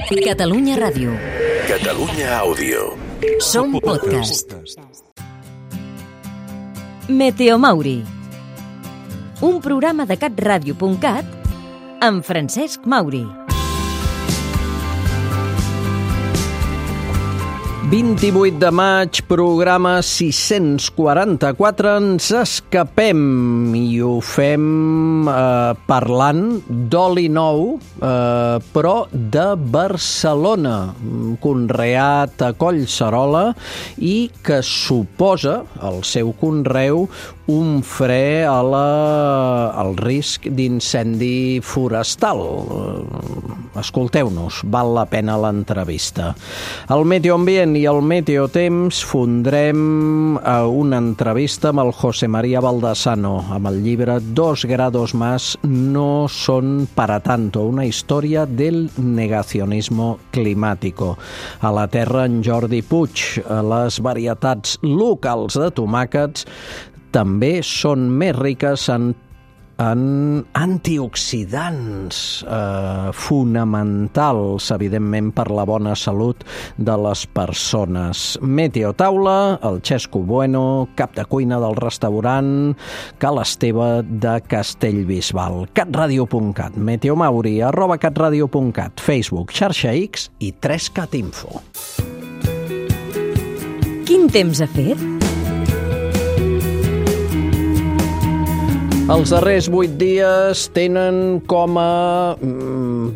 Catalunya Ràdio. Catalunya Àudio. Som podcast. Meteomauri. Un programa de catradio.cat amb Francesc Mauri. 28 de maig, programa 644, ens escapem i ho fem parlant d'oli nou, però de Barcelona, conreat a Collserola i que suposa el seu conreu un fre al risc d'incendi forestal. Escolteu-nos, val la pena l'entrevista. El Meteoambient i el Meteotemps fondrem una entrevista amb el José María Baldassano, amb el llibre 2 grados más no son para tanto, una història del negacionismo climático. A la Terra, en Jordi Puig, les varietats locals de tomàquets també són més riques en antioxidants fonamentals, evidentment, per la bona salut de les persones. Meteotaula, el Xesco Bueno, cap de cuina del restaurant Cal Esteve de Castellbisbal. catradio.cat, Meteomauri, @catradio.cat, Facebook, xarxa X i 3cat Info. Quin temps ha fet? Els darrers 8 dies tenen com a,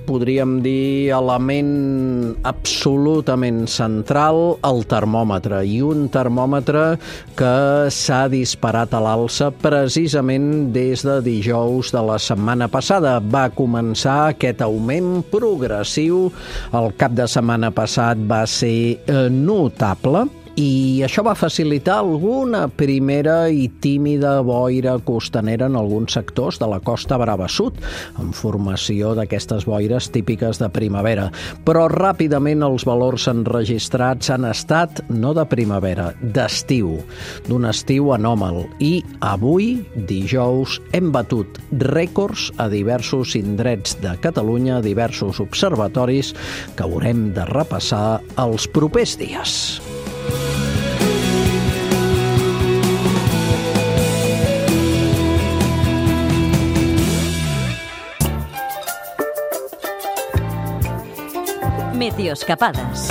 podríem dir, element absolutament central el termòmetre, i un termòmetre que s'ha disparat a l'alça precisament des de dijous de la setmana passada. Va començar aquest augment progressiu, el cap de setmana passat va ser notable, i això va facilitar alguna primera i tímida boira costanera en alguns sectors de la Costa Brava Sud, en formació d'aquestes boires típiques de primavera. Però ràpidament els valors enregistrats han estat no de primavera, d'estiu, d'un estiu anòmal. I avui, dijous, hem batut rècords a diversos indrets de Catalunya, a diversos observatoris que haurem de repassar els propers dies. Meteoscapades.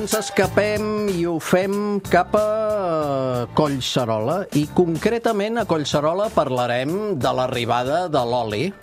Ens escapem i ho fem cap a Collserola, i concretament a Collserola parlarem de l'arribada de l'oli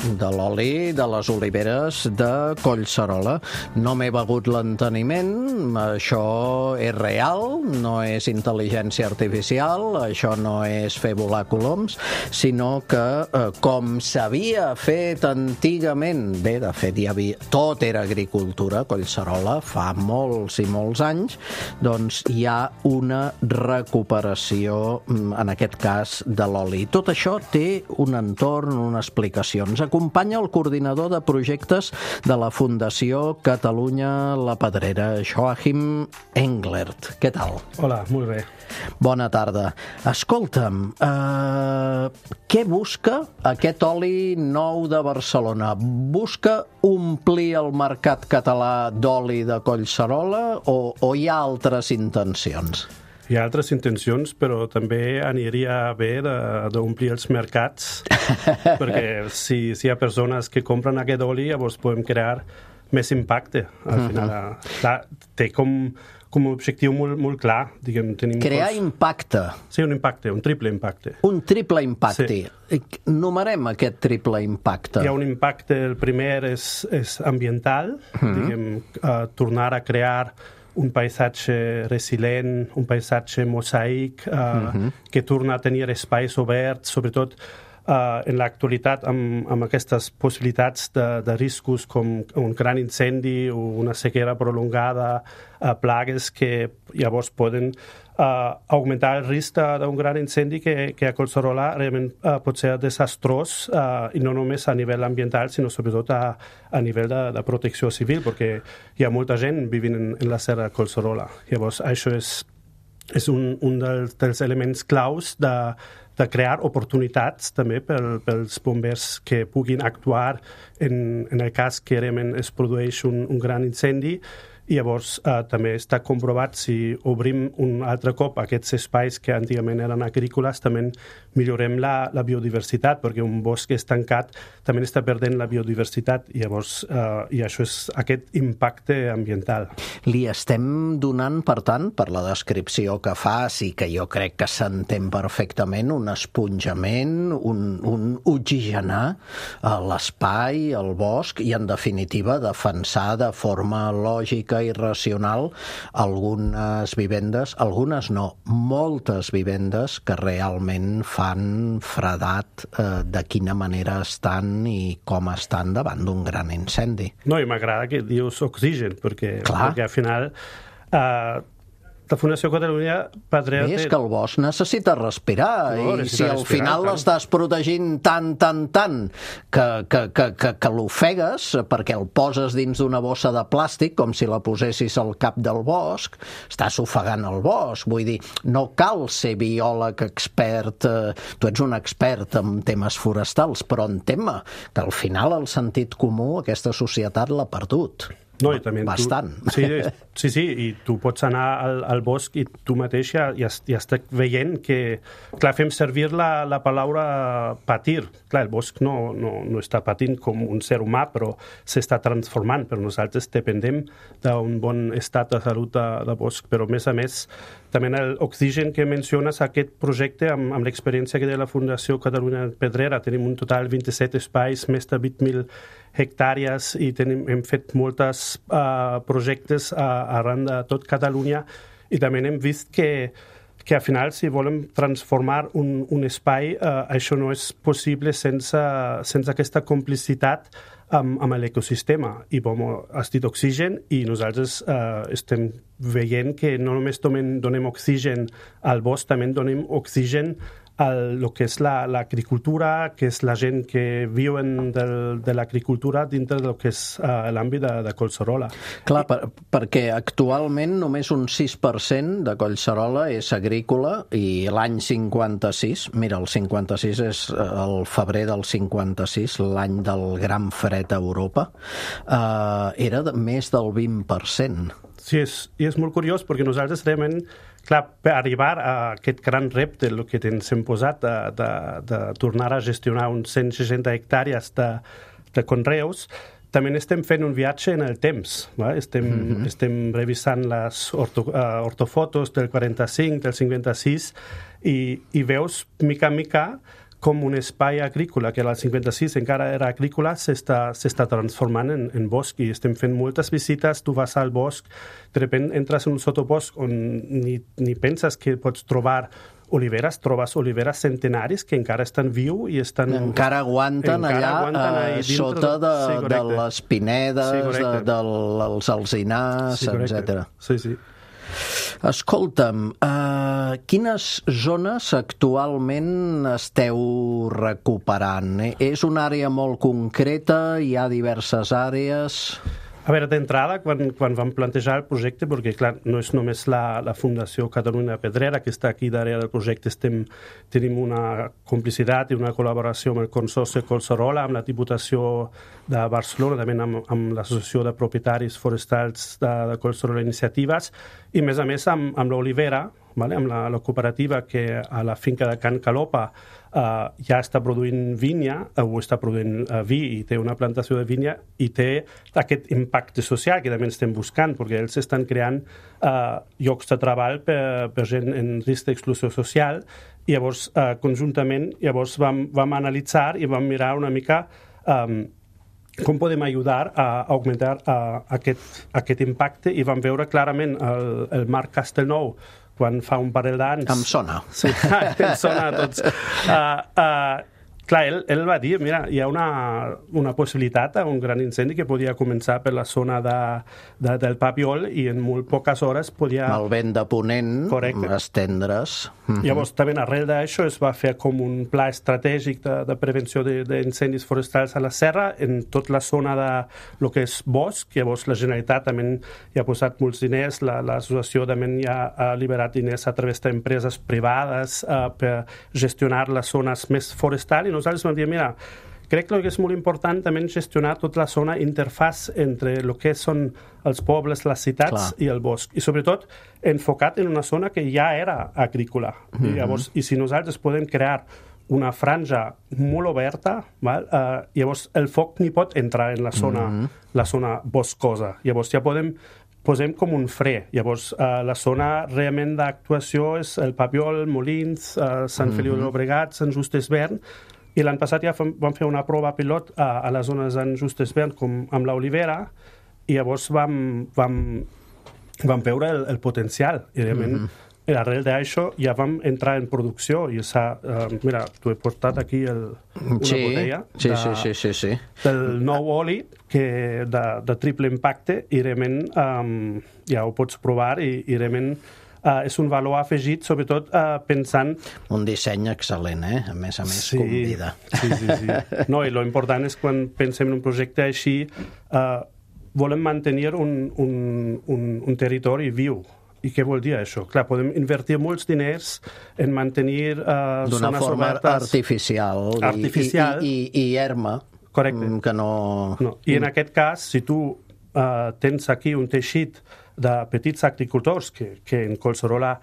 de les oliveres de Collserola. No m'he begut l'enteniment, això és real, no és intel·ligència artificial, això no és fer volar coloms, sinó que com s'havia fet antigament, bé, de fet hi havia, tot era agricultura a Collserola fa molts i molts anys, doncs hi ha una recuperació, en aquest cas, de l'oli. Tot això té un entorn, una explicació. Ens acompanya el coordinador de projectes de la Fundació Catalunya La Pedrera, Joachim Englert. Què tal? Hola, molt bé. Bona tarda. Escolta'm, què busca aquest oli nou de Barcelona? Busca omplir el mercat català d'oli de Collserola o hi ha altres intencions? Hi ha altres intencions, però també aniria bé d'omplir els mercats, perquè si hi ha persones que compren aquest oli, llavors podem crear més impacte. Al final, té com un objectiu molt clar. Diguem, crear impacte. Sí, un impacte, un triple impacte. Un triple impacte. Sí. Numerem aquest triple impacte. Hi ha un impacte, el primer és ambiental, diguem, tornar a crear un paisatge resilient, un paisatge mosaic, que torna a tenir espais oberts, sobretot en l'actualitat amb aquestes possibilitats de riscos com un gran incendi o una sequera prolongada, plagues que llavors poden augmentar el risc d'un gran incendi que a Collserola realment pot ser desastrós, i no només a nivell ambiental, sinó sobretot a nivell de protecció civil, perquè hi ha molta gent vivint en la serra de Collserola. Llavors, això és un dels elements claus de crear oportunitats també pels bombers que puguin actuar en el cas que realment es produeix un gran incendi. I llavors també està comprovat si obrim un altre cop aquests espais que antigament eren agrícoles, també millorem la biodiversitat, perquè un bosc és tancat també està perdent la biodiversitat i llavors i això és aquest impacte ambiental. Li estem donant, per tant, per la descripció que fas i que jo crec que s'entén perfectament, un esponjament, un oxigenar l'espai, el bosc i, en definitiva, defensar de forma lògica i racional algunes vivendes, algunes no, moltes vivendes que realment fan fredat de quina manera estan i com estan davant d'un gran incendi. No, i m'agrada que dius oxigen, perquè al final la Fundació Catalunya Pedrera... És que el bosc necessita respirar, i si al final l'estàs protegint tant, que l'ofegues perquè el poses dins d'una bossa de plàstic, com si la posessis al cap del bosc, estàs ofegant el bosc. Vull dir, no cal ser biòleg expert, tu ets un expert en temes forestals, però entén-me que al final el sentit comú aquesta societat l'ha perdut. No, i també bastant. Sí, i tu pots anar al bosc i tu mateix ja estàs veient que, clar, fem servir la paraula patir. Clar, el bosc no està patint com un ser humà, però s'està transformant, però nosaltres dependem d'un bon estat de salut de bosc, però a més, també l'oxigen que menciones, aquest projecte, amb l'experiència que té la Fundació Catalunya Pedrera, tenim un total de 27 espais, més de 20.000 hectàrees i hem fet molts projectes arran de tot Catalunya i també hem vist que al final, si volem transformar un espai, això no és possible sense aquesta complicitat amb l'ecosistema. I com has dit oxigen, i nosaltres estem veient que no només donem oxigen al bosc, també donem oxigen el que és l'agricultura, que és la gent que viuen de l'agricultura dintre del que és l'àmbit de Collserola. Clar, perquè actualment només un 6% de Collserola és agrícola i l'any 56, mira, el 56 és el febrer del 56, l'any del gran fred a Europa, era més del 20%. Sí, és molt curiós perquè nosaltres realment, clar, per arribar a aquest gran repte que ens hem posat de tornar a gestionar uns 160 hectàrees de conreus, també estem fent un viatge en el temps. Estem revisant les ortofotos del 45, del 56, i veus mica en mica com un espai agrícola, que al 56 encara era agrícola, s'està transformant en bosc, i estem fent moltes visites. Tu vas al bosc, de sobte entres en un sotobosc on ni penses que pots trobar oliveres, trobes oliveres centenaris que encara estan viu i encara aguanten allà sota de les pinedes, dels alzinars, etc. Sí. Escolta'm, quines zones actualment esteu recuperant? És una àrea molt concreta? Hi ha diverses àrees? A veure, d'entrada, quan vam plantejar el projecte, perquè, clar, no és només la Fundació Catalunya Pedrera que està aquí darrere del projecte, tenim una complicitat i una col·laboració amb el Consorci Collserola, amb la Diputació de Barcelona, també amb l'Associació de Propietaris Forestals de Collserola Iniciatives, i a més amb l'Olivera, amb la cooperativa que a la finca de Can Calopa ja està produint vinya, o està produint vi, i té una plantació de vinya, i té aquest impacte social que també estem buscant, perquè ells estan creant llocs de treball per gent en risc d'exclusió social, i llavors conjuntament vam analitzar i vam mirar una mica com podem ajudar a augmentar aquest impacte, i vam veure clarament el Marc Castellnou, quan fa un parell d'anys... Em sona. Sí, em sona a tots. clar, ell va dir, mira, hi ha una possibilitat, un gran incendi que podia començar per la zona del Papiol i en molt poques hores podia... El vent de ponent, correcte, estendre's. Llavors, també arrel d'això es va fer com un pla estratègic de prevenció d'incendis forestals a la serra, en tota la zona de lo que és bosc. Llavors, la Generalitat també hi ha posat molts diners, l'associació també hi ha liberat diners a través d'empreses privades per gestionar les zones més forestals, i nosaltres vam dir, mira, crec que és molt important també gestionar tota la zona interfàs entre el que són els pobles, les ciutats i el bosc, i sobretot enfocat en una zona que ja era agrícola. Llavors, i si nosaltres podem crear una franja molt oberta, llavors el foc ni pot entrar en la zona boscosa. Llavors ja posem com un fre. Llavors, la zona realment d'actuació és el Papiol, Molins, Sant Feliu de Llobregat, Sant Just Desvern, i l'any passat ja vam fer una prova pilot a les zones de Sant Just Desvern com amb l'Olivera, i llavors vam veure el potencial, i realment arrel d'això ja vam entrar en producció i mira, t'ho he portat aquí una botella del nou oli de triple impacte, i realment ja ho pots provar, i realment és un valor afegit, sobretot pensant... Un disseny excel·lent, a més convida. Sí. No, i lo important és quan pensem en un projecte així, volem mantenir un territori viu. I què vol dir això? Clar, podem invertir molts diners en mantenir zones obertes... D'una forma artificial i erma. Correcte. Que no... I en aquest cas, si tu tens aquí un teixit de petits agricultors que en Collserola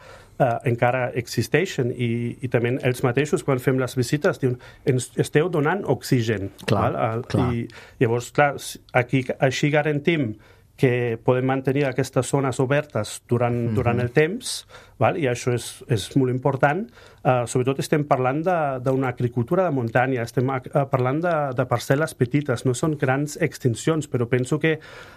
encara existeixen, i també ells mateixos, quan fem les visites, diuen, esteu donant oxigen. Clar. I llavors, clar, aquí així garantim que podem mantenir aquestes zones obertes durant el temps, i això és molt important. Sobretot estem parlant d'una agricultura de muntanya, estem parlant de parcel·les petites, no són grans extincions, però penso que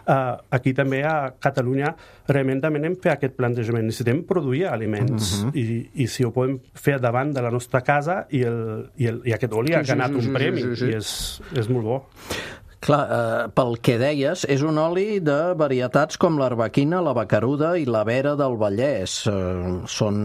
aquí també a Catalunya realment també anem per aquest plantejament. Necessitem produir aliments, i si ho podem fer davant de la nostra casa, i aquest oli ha ganat un premi, i és molt bo. Clar, pel que deies, és un oli de varietats com l'arbequina, la bacaruda i la vera del Vallès. Són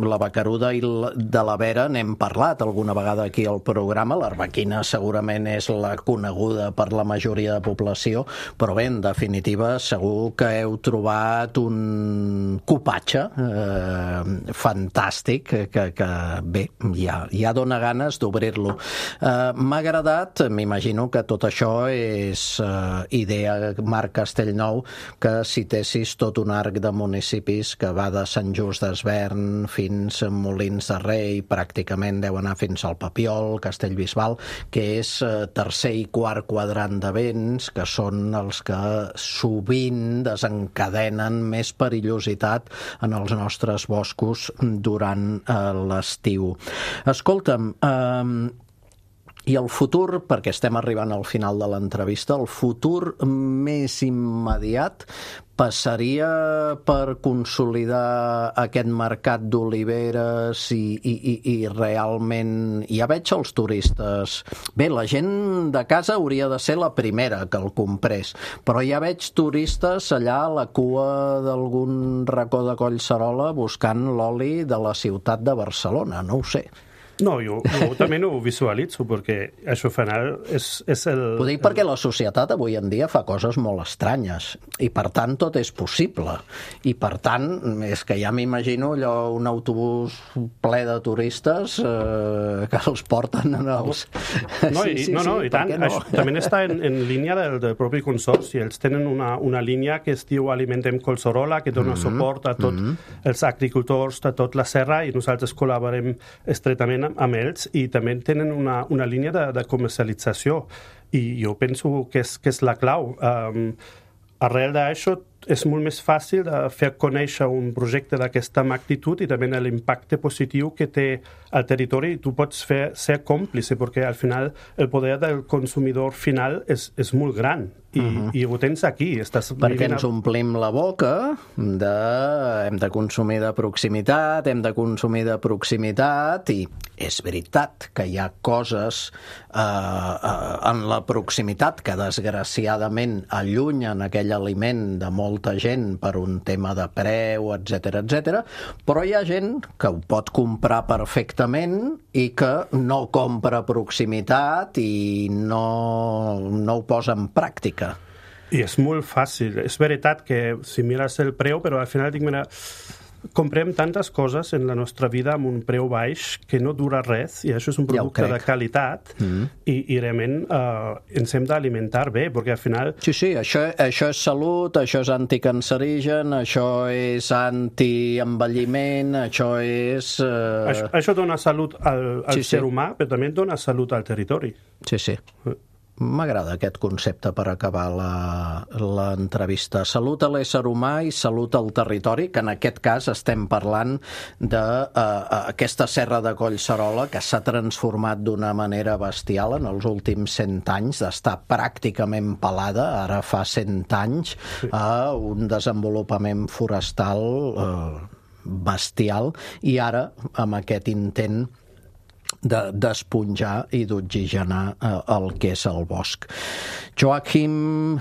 la bacaruda i de la vera n'hem parlat alguna vegada aquí al programa. L'arbequina segurament és la coneguda per la majoria de població, però bé, en definitiva, segur que heu trobat un cupatge fantàstic que bé, ja dona ganes d'obrir-lo. M'ha agradat, m'imagino que tot això és idea Marc Castellnou, que citessis tot un arc de municipis que va de Sant Just Desvern fins a Molins de Rei, pràcticament deu anar fins al Papiol, Castellbisbal, que és tercer i quart quadrant de vents, que són els que sovint desencadenen més perillositat en els nostres boscos durant l'estiu. Escolta'm, i el futur, perquè estem arribant al final de l'entrevista, el futur més immediat passaria per consolidar aquest mercat d'oliveres i realment... Ja veig els turistes... Bé, la gent de casa hauria de ser la primera que el comprés, però ja veig turistes allà a la cua d'algun racó de Collserola buscant l'oli de la ciutat de Barcelona, no ho sé. No, jo també no ho visualitzo, perquè això final és el... Ho dic perquè la societat avui en dia fa coses molt estranyes, i per tant tot és possible. I per tant, és que ja m'imagino allò, un autobús ple de turistes que els porten en els... No, i tant. No? Això també està en línia del propi consorci. Ells tenen una línia que es diu Alimentem Collserola, que dona suport a tots els agricultors de tot la serra, i nosaltres col·laborem estretament amb ells, i també tenen una línia de comercialització, i jo penso que és la clau. Arrel d'això, és molt més fàcil de fer conèixer un projecte d'aquesta magnitud i també l'impacte positiu que té al territori, i tu pots ser còmplice, perquè al final el poder del consumidor final és molt gran. I ho tens aquí. Perquè ens omplim la boca hem de consumir de proximitat, i és veritat que hi ha coses en la proximitat que desgraciadament allunyen aquell aliment de molta gent per un tema de preu, etc, però hi ha gent que ho pot comprar perfectament i que no compra proximitat i no ho posa en pràctica. I és molt fàcil. És veritat que si mires el preu, però al final dic, mira, comprem tantes coses en la nostra vida amb un preu baix que no dura res, i això és un producte de qualitat, i realment ens hem d'alimentar bé, perquè al final... Sí, això és salut, això és anticancerigen, això és antienvelliment, això és... Això dona salut al ser humà, però també dona salut al territori. Sí. M'agrada aquest concepte per acabar l'entrevista. Salut a l'ésser humà i salut al territori, que en aquest cas estem parlant d'aquesta serra de Collserola que s'ha transformat d'una manera bestial en els últims 100 anys, d'estar pràcticament pelada, ara fa 100 anys, a un desenvolupament forestal bestial, i ara amb aquest intent d'esponjar i d'oxigenar el que és el bosc. Joachim,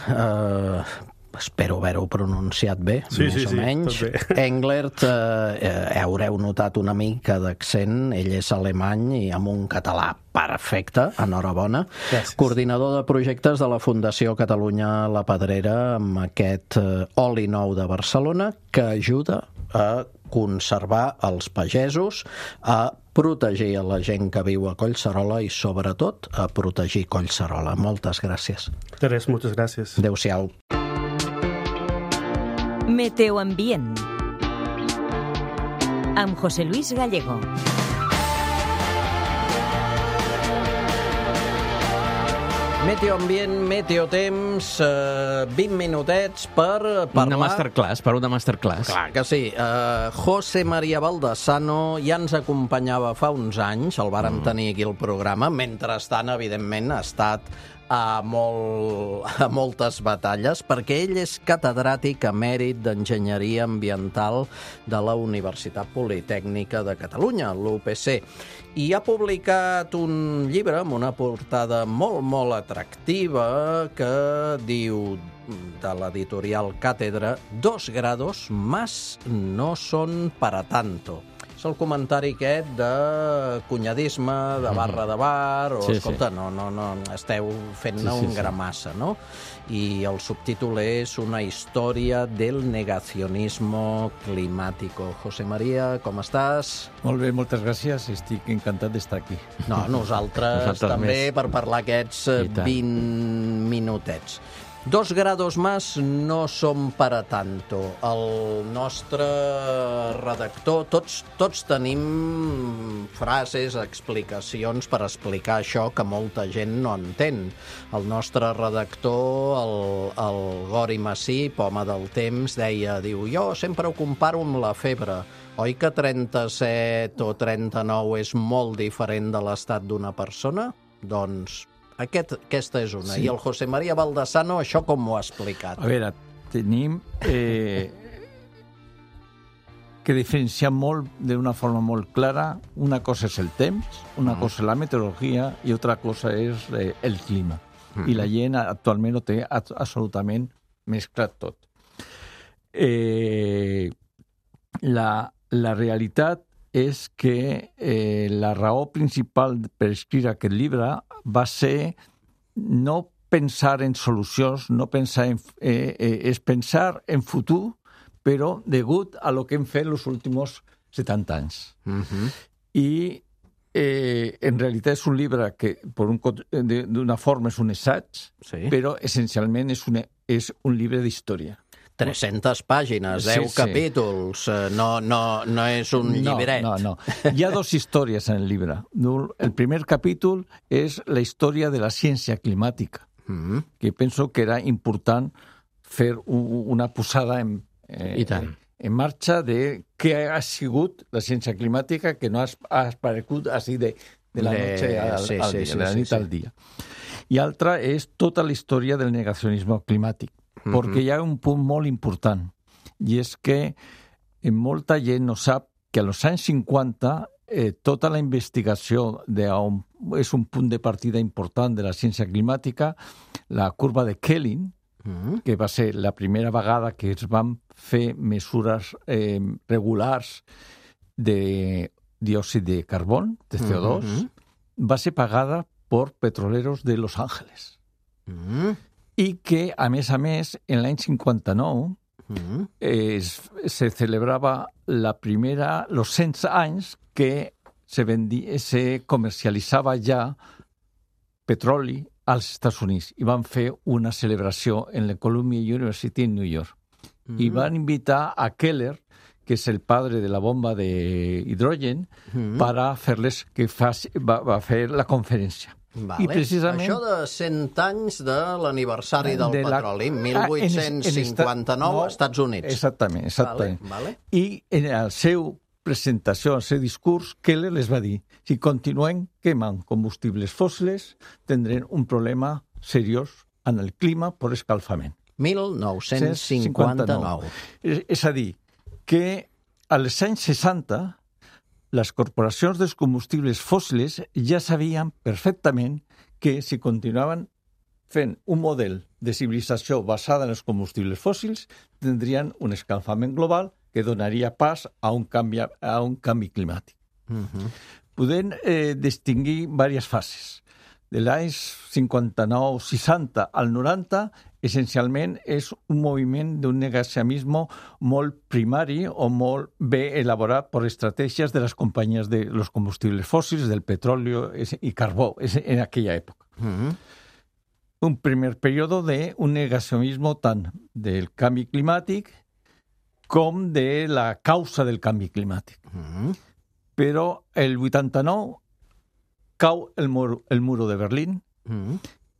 espero haver-ho pronunciat bé, més o menys, Englert, haureu notat una mica d'accent, ell és alemany i amb un català perfecte, enhorabona. Gràcies. Coordinador de projectes de la Fundació Catalunya La Pedrera, amb aquest oli nou de Barcelona, que ajuda a conservar els pagesos, a protegir a la gent que viu a Collserola i, sobretot, a protegir Collserola. Moltes gràcies. Teres, moltes gràcies. Adéu-siau. Meteoambient amb José Luis Gallego. Meteoambient, meteotemps, 20 minutets per parlar... Una masterclass. Clar que sí. José María Baldassano ja ens acompanyava fa uns anys, el vàrem tenir aquí al programa. Mentrestant, evidentment, ha estat a moltes batalles, perquè ell és catedràtic emèrit d'Enginyeria Ambiental de la Universitat Politècnica de Catalunya, l'UPC, i ha publicat un llibre amb una portada molt, molt atractiva que diu, de l'editorial Càtedra, 2 grados más no son para tanto. És el comentari aquest de cunyadisme, de barra de bar, o escolta, no, esteu fent-ne un gramassa, no? I el subtítol és Una història del negacionismo climático. José María, com estàs? Molt bé, moltes gràcies. Estic encantat d'estar aquí. No, nosaltres també, per parlar aquests 20 minutets. 2 grados más no son para tanto. El nostre redactor, tots tenim frases, explicacions per explicar això que molta gent no entén. El nostre redactor, el Gori Massip, home del temps, diu, jo sempre ho comparo amb la febre. Oi que 37 o 39 és molt diferent de l'estat d'una persona? Doncs aquesta és una. I el José María Baldassano això com ho ha explicat? A veure, tenim que diferenciar molt d'una forma molt clara. Una cosa és el temps, una cosa és la meteorologia i altra cosa és el clima. I la gent actualment ho té absolutament mesclat tot. La realitat és que la raó principal per escriure aquest llibre va ser no pensar en solucions, no pensar és pensar en futur, però degut a lo que hem fet els últims 70 anys. I en realitat és un llibre que d'una forma és un assaig, però essencialment és un llibre d'història. 300 pàgines, 10 capítols, no és un llibret. No. Hi ha 2 històries en el llibre. El primer capítol és la història de la ciència climàtica, que penso que era important fer una posada en marxa de què ha sigut la ciència climàtica, que no ha aparegut així de la nit al dia. I altra és tota la història del negacionisme climàtic, perquè hi ha un punt molt important, i és que molta gent no sap que als anys 50 tota la investigació és un punt de partida important de la ciència climàtica, la curva de Kelvin, que va ser la primera vegada que es van fer mesures regulars de diòxid de carbó, de CO2, va ser pagada per petroleros de Los Ángeles. I que, a més, en l'any 59 se celebrava los 100 anys que se comercialitzava ja petroli als Estats Units i van fer una celebració en la Columbia University en New York. I van invitar a Keller, que és el padre de la bomba d'hidrogen, para fer-les que va fer la conferència. Vale. I precisament això de 100 anys de l'aniversari del petroli, 1859, Estats Units. Exactament. Vale. I en la seva presentació, el seu discurs, Keller les va dir: si continuem quemant combustibles fòssils, tindrem un problema seriós en el clima per escalfament. 1959. És a dir, que als anys 60 les corporacions dels combustibles fòssils ja sabien perfectament que si continuaven fent un model de civilització basada en els combustibles fòssils, tindrien un escalfament global que donaria pas a un canvi climàtic. Podem distingir diverses fases. De l'any 59-60 al 90, essencialment és un moviment d'un negacionisme molt primari o molt bé elaborat per estratègies de les companyies de los combustibles fòssils, del petroli i carbó, en aquella època. Un primer període d'un negacionisme tant del canvi climàtic com de la causa del canvi climàtic. Però el 89 cau el muro de Berlín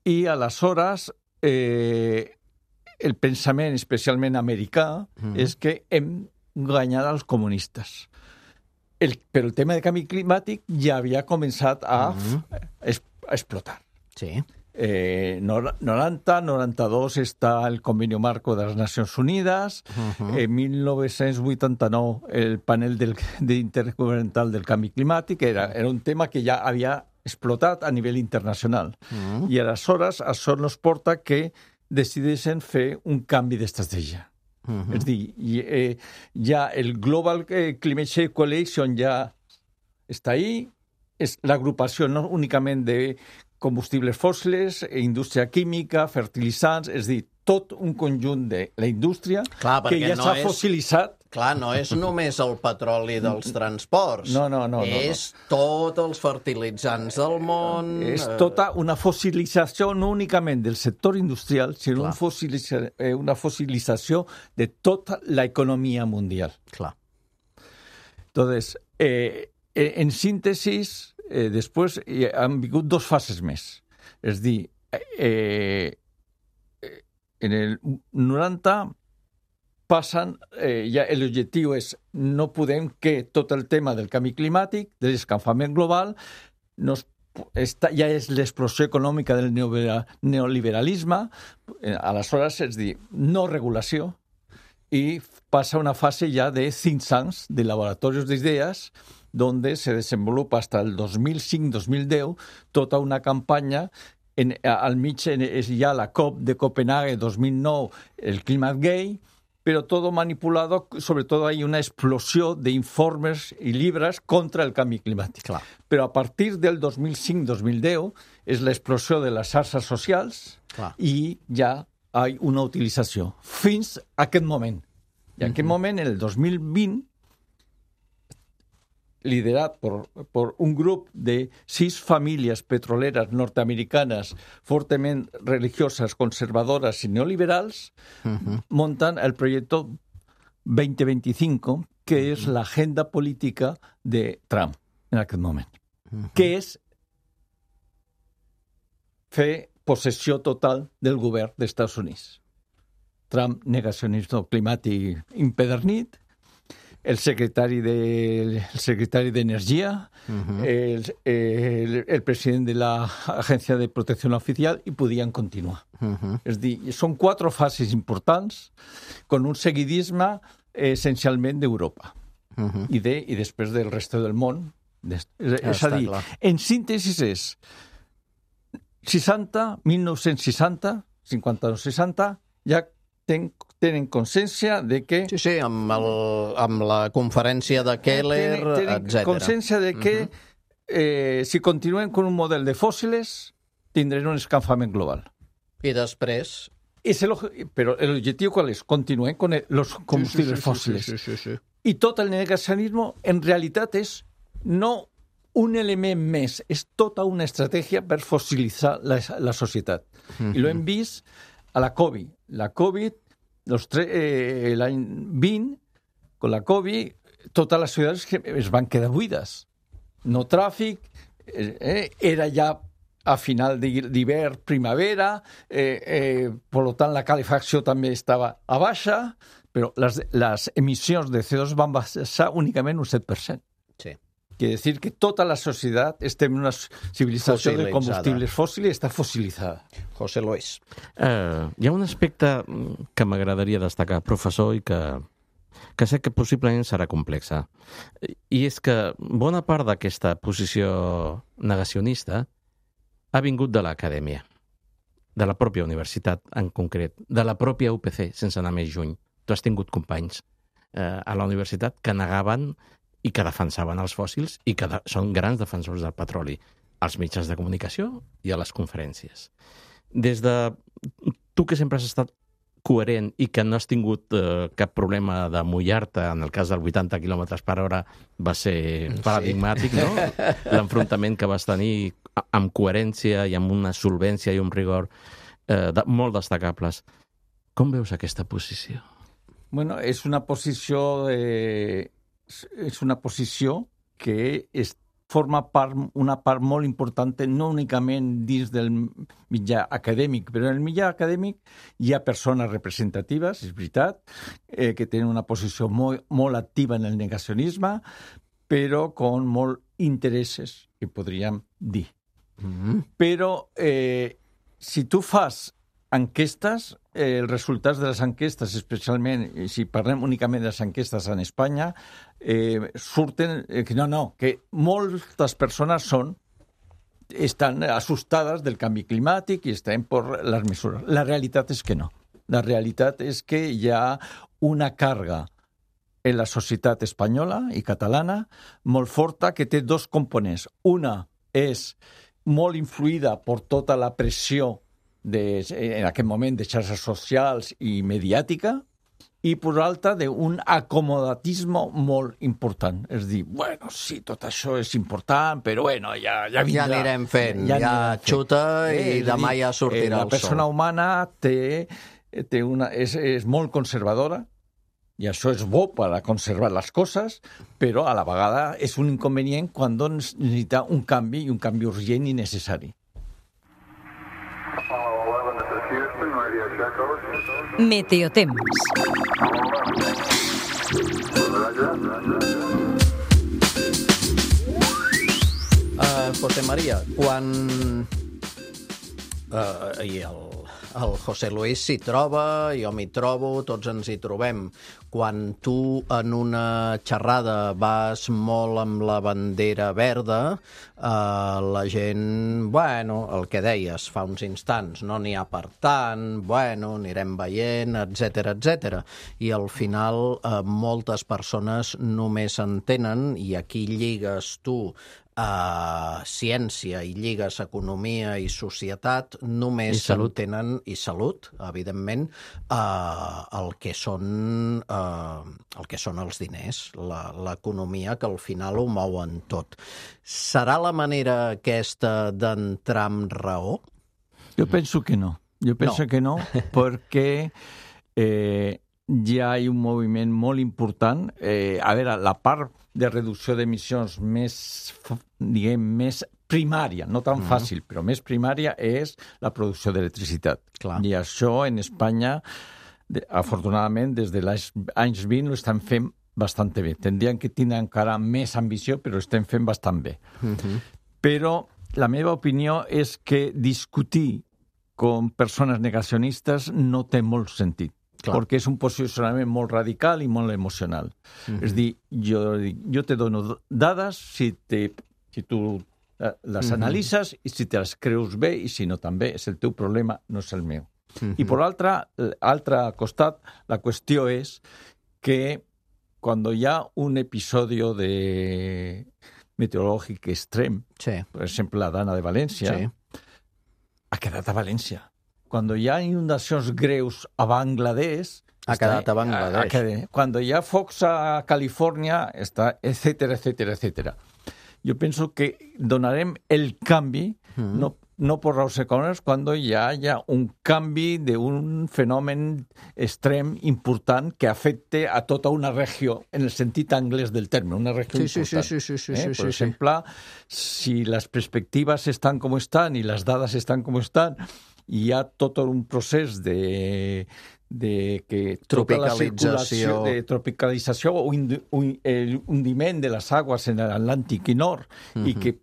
i aleshores el pensament especialment americà és que hem guanyat els comunistes. Però el tema de canvi climàtic ja havia començat a explotar. Sí. 90-92 està el Convenio Marco de les Nacions Unides, en 1989 el panel intergovernamental del canvi climàtic, era un tema que ja havia explotat a nivell internacional. I aleshores això ens porta que decideixen fer un canvi d'estratègia. És a dir, ja el Global Climate Change Coalition ja està ahí, és l'agrupació no únicament de combustibles fòssils, indústria química, fertilitzants, és a dir, tot un conjunt de la indústria que ja s'ha fossilitzat. Clar, no és només el petroli dels transports. No. És tots els fertilitzants del món. És tota una fossilització no únicament del sector industrial, sinó una fossilització de tota l'economia mundial. Clar. Entonces, en síntesis, després han vingut dos fases més. És a dir, en el 90 passen, ja l'objectiu és no podem que tot el tema del canvi climàtic, de l'escalfament global, ja és l'explosió econòmica del neoliberalisme, aleshores és dir, no regulació, i passa una fase ja de think tanks, de laboratoris d'idees, donde se desenvolupa hasta el 2005-2010 tota una campanya. Al mig és ja la COP de Copenhague 2009, el Climate Gate, pero todo manipulado, sobre todo hay una explosión de informes y libros contra el cambio climático. Clar. Pero a partir del 2005-2010 és l'explosió de les xarxes socials i ja hi ha una utilització. Fins a aquest moment. I en aquest moment, en el 2020, liderat por un grup de 6 famílies petroleres nord-americanes fortament religioses, conservadores i neoliberals, montan el projecte 2025, que és l'agenda política de Trump en aquest moment, que és fer possessió total del govern dels Estats Units. Trump, negacionisme climàtic impedernit, el secretari d'Energia, el president de l'Agència de Protecció Oficial, i podien continuar. És a dir, són 4 fases importants con un seguidisme essencialment d'Europa i després del resto del món. És a dir, en síntesi és 1960, 52-60, ja tenen consciència de que... Sí, amb la conferència de Keller, tenen etc. consciència de que si continuen con un model de fósiles, tindrem un escalfament global. I després... Però l'objectiu qual és? Continuen con los combustibles fósiles. Sí. I tot el negacionisme, en realitat, és no un element més, és tota una estratègia per fossilitzar la societat. I lo hem vist a la Covid. La Covid, l'any 20, con la Covid, totes les ciutats es van quedar buides. No tràfic, era ja a final d'hivern, primavera, per tant la calefacció també estava a baixa, però les emissions de CO2 van baixar únicament un 7%. Sí. Quiere decir que toda la sociedad está en una civilización de combustibles fòssils i està fossilitzada. José Luis. Hi ha un aspecte que m'agradaria destacar, professor, i que sé que possiblement serà complexa. I és que bona part d'aquesta posició negacionista ha vingut de l'acadèmia, de la pròpia universitat en concret, de la pròpia UPC, sense anar més juny. Tu has tingut companys a la universitat que negaven i que defensaven els fòssils i que són grans defensors del petroli als mitjans de comunicació i a les conferències. Des de tu, que sempre has estat coherent i que no has tingut cap problema de mullar-te, en el cas del 80 km per hora va ser paradigmàtic, no? L'enfrontament que vas tenir amb coherència i amb una solvència i un rigor molt destacables. Com veus aquesta posició? Bueno, és una posició que forma una part molt important, no únicament dins del mitjà acadèmic, però en el mitjà acadèmic hi ha persones representatives, és veritat, que tenen una posició molt activa en el negacionisme, però con molt interessos, que podríem dir. Però si tu fas enquestes, els resultats de les enquestes, especialment si parlem únicament de les enquestes en Espanya, surten que moltes persones estan assustades del canvi climàtic i estan per les mesures. La realitat és que no. La realitat és que hi ha una càrrega en la societat espanyola i catalana molt forta que té 2 components. Una és molt influïda per tota la pressió en aquest moment de xarxes socials i mediàtica, i per l'altra d'un acomodatisme molt important. És dir, bueno, sí, tot això és important, però bueno, ja vindrà. Ja anirem fent, ja xuta i demà ja sortirà el sol. La persona humana és molt conservadora, i això és bo per a conservar les coses, però a la vegada és un inconvenient quan necessita un canvi, i un canvi urgent i necessari. Meteotemps. José María, quan el José Luis s'hi troba, jo m'hi trobo, tots ens hi trobem. Quan tu en una xerrada vas molt amb la bandera verda, la gent, bueno, el que deies fa uns instants, no n'hi ha per tant, bueno, anirem veient, etc. I al final moltes persones només entenen, i aquí lligues tu ciència i lligues economia i societat, només s'entenen, i salut, evidentment, el que són els diners, l'economia, que al final ho mouen tot. Serà la manera aquesta d'entrar amb raó? Jo penso que no. Que no, perquè hi ha un moviment molt important. A veure, la part de reducció d'emissions més primària, no tan fàcil, però més primària, és la producció d'electricitat. I això en Espanya afortunadament, des de l'anys 20 ho estan fent bastant bé. Tindrien que tenir encara més ambició, però ho estem fent bastant bé. Però la meva opinió és que discutir com persones negacionistes no té molt sentit. Clar. Perquè és un posicionament molt radical i molt emocional. És dir, jo te dono dades si tu les analitzes i si te les creus bé i si no també. És el teu problema, no és el meu. I per l'altre costat, la qüestió és que quan hi ha un episodi de meteorològic extrem, per exemple, la Dana de València, ha quedat a València. Quan hi ha inundacions greus a Bangladesh... Ha quedat a Bangladesh. Quan hi ha focs a Califòrnia, etcètera, etcètera, etcètera. Jo penso que donarem el canvi, no per raons econòmiques, quan hi hagi un canvi d'un fenomen extrem important que afecte a tota una regió, en el sentit anglès del terme, una regió important. Sí. Per exemple, si les perspectives estan com estan i les dades estan com estan, hi ha tot un procés de tropicalització o hundiment de les aigües en l'Atlàntic i nord i que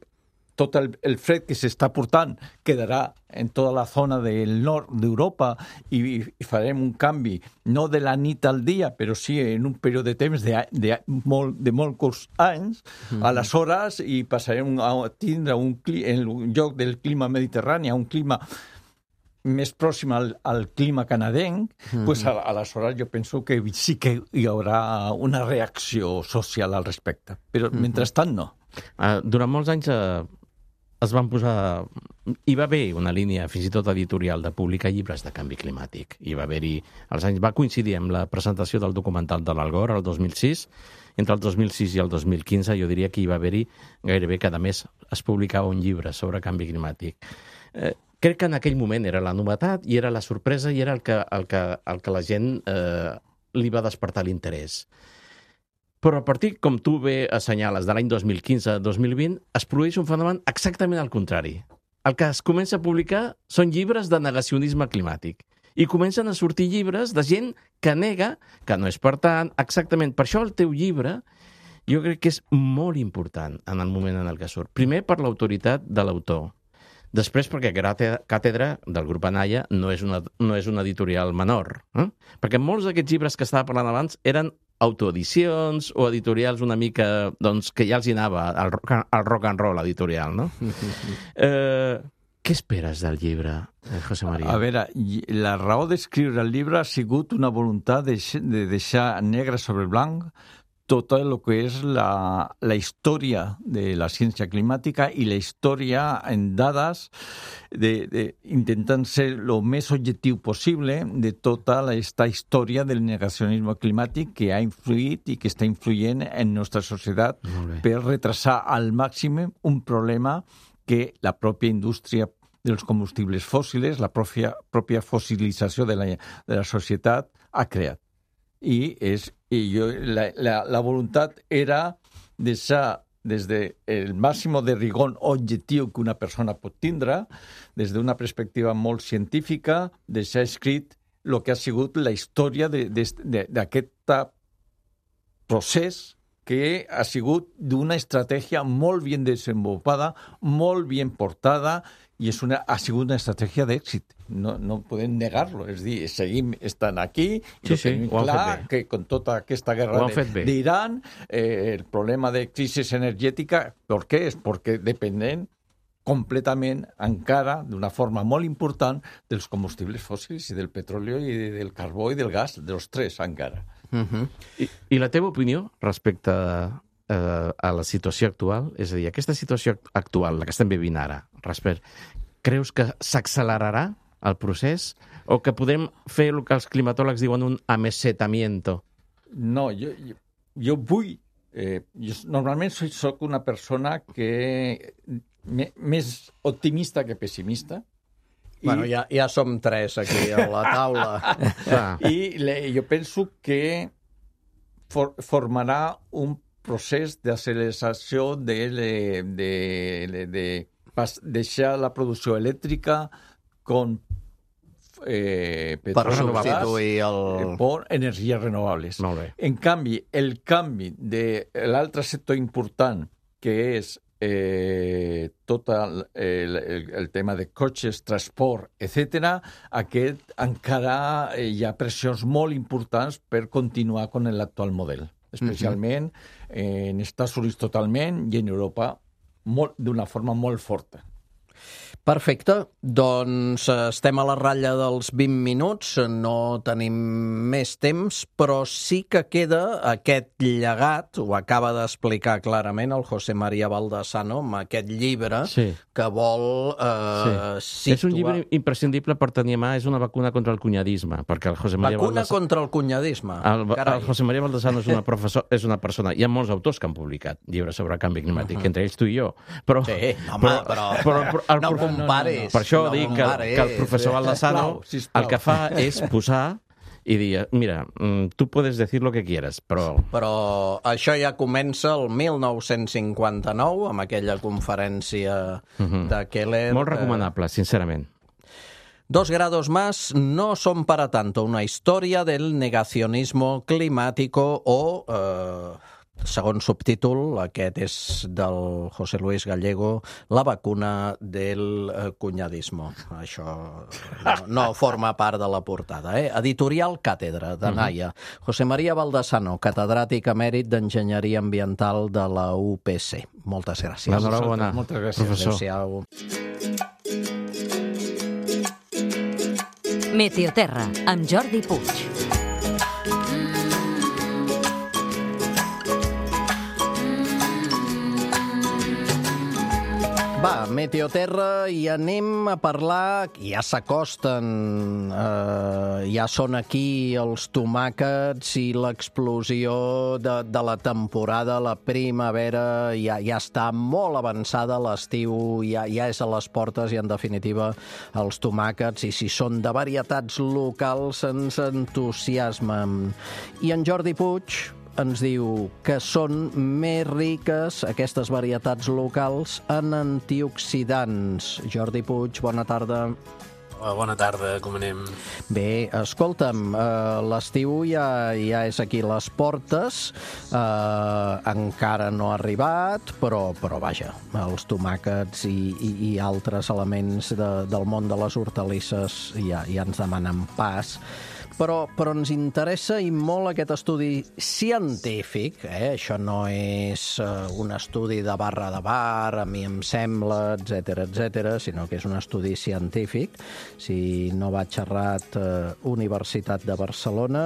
tot el fred que s'està portant quedarà en tota la zona del nord d'Europa i farem un canvi, no de la nit al dia, però sí en un període de temps de molt curts anys, aleshores i passarem a tindre en lloc del clima mediterrani un clima més pròxim al clima canadenc, pues aleshores jo penso que sí que hi haurà una reacció social al respecte. Però mentrestant no. Durant molts anys es van posar... Hi va haver una línia, fins i tot editorial, de publicar llibres de canvi climàtic. Va coincidir amb la presentació del documental de l'Algor, el 2006. Entre el 2006 i el 2015 jo diria que hi va haver-hi gairebé cada mes es publicava un llibre sobre canvi climàtic. Crec que en aquell moment era la novetat i era la sorpresa i era el que la gent li va despertar l'interès. Però a partir, com tu bé assenyales, de l'any 2015-2020, es produeix un fenomen exactament al contrari. El que es comença a publicar són llibres de negacionisme climàtic. I comencen a sortir llibres de gent que nega, que no és per tant, exactament. Per això el teu llibre jo crec que és molt important en el moment en el que surt. Primer, per l'autoritat de l'autor. Després, perquè Càtedra, del grup Anaya, no és una editorial menor. Perquè molts d'aquests llibres que estava parlant abans eren autoedicions o editorials una mica, doncs, que ja els hi anava al rock and roll editorial, no? Què esperes del llibre, José María? A veure, la raó d'escriure el llibre ha sigut una voluntat de deixar negre sobre blanc tot el que és la història de la ciència climàtica i la història en dades, intentant ser el més objectiu possible de tota aquesta història del negacionisme climàtic que ha influït i que està influint en nostra societat per retrasar al màxim un problema que la pròpia indústria dels combustibles fòssils, la pròpia fossilització de la societat ha creat. La voluntat era deixar des del màxim de rigor objectiu que una persona pot tindre, des d'una perspectiva molt científica, deixar escrit el que ha sigut la història d'aquest procés que ha sigut d'una estratègia molt ben desenvolupada, molt ben portada, i ha sigut una estratègia d'èxit. No podem negar-lo. És a dir, seguim estant aquí i tenim clar que amb tota aquesta guerra d'Iran, el problema de crisi energètica, per què? És perquè depenem completament encara, d'una forma molt important, dels combustibles fòssils i del petroli i del carbó i del gas, dels tres encara. I la teva opinió respecte a la situació actual? És a dir, aquesta situació actual, la que estem vivint ara, creus que s'accelerarà el procés o que podem fer el que els climatòlegs diuen un amesetamiento? No, jo vull... normalment soc una persona que més optimista que pessimista. Bueno, ja som tres aquí a la taula. I jo penso que formarà un procés d'acceleració de deixar la producció elèctrica com per substituir per energies renovables. Molt bé. En canvi, el canvi de l'altre sector important, que és tot el tema de cotxes, transport, etc., aquest encara hi ha pressions molt importants per continuar amb l'actual model, especialment en Estats Units totalment i en Europa d'una forma molt forta. Perfecte, doncs estem a la ratlla dels 20 minuts, no tenim més temps, però sí que queda aquest llegat, ho acaba d'explicar clarament el José María Baldasano, amb aquest llibre que vol situar... És un llibre imprescindible per tenir a mà, és una vacuna contra el cunyadisme, perquè el José María contra el cunyadisme? El José María Baldasano és una persona... Hi ha molts autors que han publicat llibres sobre el canvi climàtic, entre ells tu i jo, però... Sí, home, però compares. Per això dic que el professor Baldasano el que fa és posar i dir, mira, tu puedes decir lo que quieras, però... Però això ja comença el 1959, amb aquella conferència de Keller. Molt recomanable, sincerament. 2 grados más no son para tanto, una historia del negacionismo climático o... segon subtítol, aquest és del José Luis Gallego, la vacuna del cunyadismo. Això no forma part de la portada. Editorial Càtedra, de Naia. José María Baldasano, catedràtic emèrit d'Enginyeria Ambiental de la UPC. Moltes gràcies. Enhorabona, professor. Adéu-siau. Meteoterra, amb Jordi Puig. Va, Meteoterra, i anem a parlar... Ja s'acosten, ja són aquí els tomàquets i l'explosió de la temporada, la primavera, ja està molt avançada, l'estiu ja és a les portes i, en definitiva, els tomàquets, i si són de varietats locals, ens entusiasmen. I en Jordi Puig ens diu que són més riques, aquestes varietats locals, en antioxidants. Jordi Puig, bona tarda. Bona tarda, com anem? Bé, escolta'm, l'estiu ja és aquí a les portes, encara no ha arribat, però vaja, els tomàquets i altres elements del món de les hortalisses ja ens demanen pas. Però ens interessa i molt aquest estudi científic, això no és un estudi de barra de bar, a mi em sembla, etc., sinó que és un estudi científic, si no vaig errat, Universitat de Barcelona,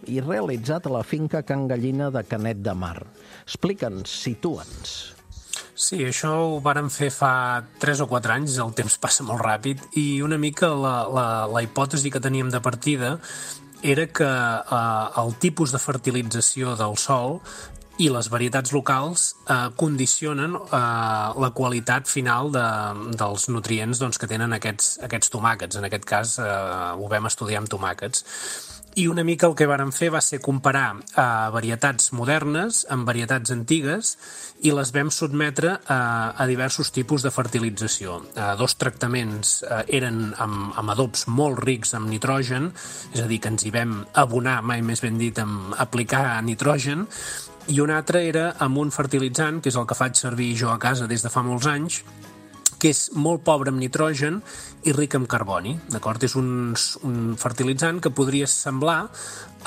i realitzat a la finca Can Gallina de Canet de Mar. Explica'ns, situa'ns. Sí, això ho vàrem fer fa 3 o 4 anys, el temps passa molt ràpid, i una mica la hipòtesi que teníem de partida era que el tipus de fertilització del sòl i les varietats locals condicionen la qualitat final dels nutrients que tenen aquests tomàquets. En aquest cas ho vam estudiar amb tomàquets. I una mica el que vàrem fer va ser comparar varietats modernes amb varietats antigues i les vam sotmetre a diversos tipus de fertilització. 2 tractaments eren amb adobs molt rics en nitrogen, és a dir, que ens hi vam abonar, mai més ben dit, amb aplicar nitrogen, i un altre era amb un fertilitzant, que és el que faig servir jo a casa des de fa molts anys, que és molt pobre en nitrogen i ric en carboni, d'acord? És un fertilitzant que podria semblar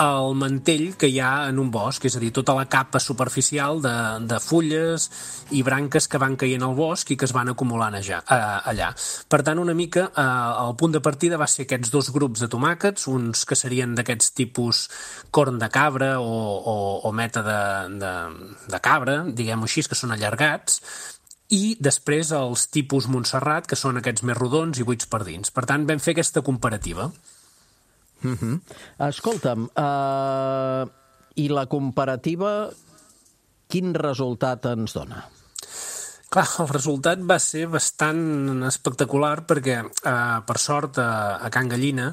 el mantell que hi ha en un bosc, és a dir, tota la capa superficial de fulles i branques que van caient al bosc i que es van acumulant allà. Per tant, una mica, el punt de partida va ser aquests 2 grups de tomàquets, uns que serien d'aquests tipus corn de cabra o meta de cabra, diguem-ho així, que són allargats, i després els tipus Montserrat, que són aquests més rodons i buits per dins. Per tant, vam fer aquesta comparativa. Escolta'm, i la comparativa, quin resultat ens dona? Clar, el resultat va ser bastant espectacular perquè, per sort, a Can Gallina,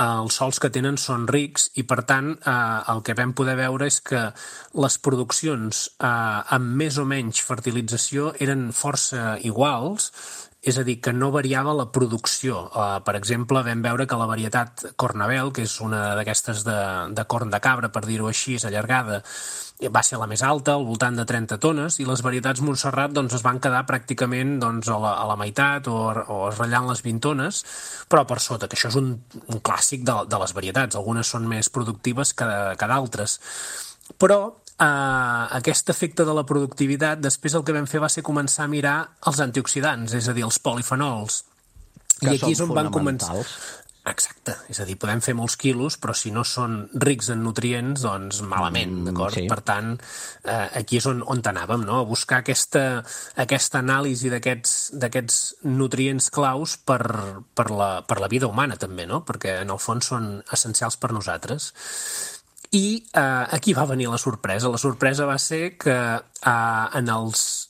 els sòls que tenen són rics i, per tant, el que vam poder veure és que les produccions amb més o menys fertilització eren força iguals és a dir, que no variava la producció. Per exemple, vam veure que la varietat Cornabel, que és una d'aquestes de corn de cabra, per dir-ho així, és allargada, va ser la més alta, al voltant de 30 tones, i les varietats Montserrat doncs, es van quedar pràcticament doncs, a la meitat o ratllant les 20 tones, però per sota, que això és un clàssic de les varietats. Algunes són més productives que d'altres. Però aquest efecte de la productivitat, després el que vam fer va ser començar a mirar els antioxidants, és a dir, els polifenols. Que I aquí són és on van començar. fonamentals. Exacte, és a dir, podem fer molts quilos, però si no són rics en nutrients, doncs malament, d'acord? sí. Per tant, aquí és on anàvem, no? A buscar aquesta anàlisi d'aquests nutrients claus per la vida humana, també, no? Perquè en el fons són essencials per nosaltres. I aquí va venir la sorpresa. La sorpresa va ser que en els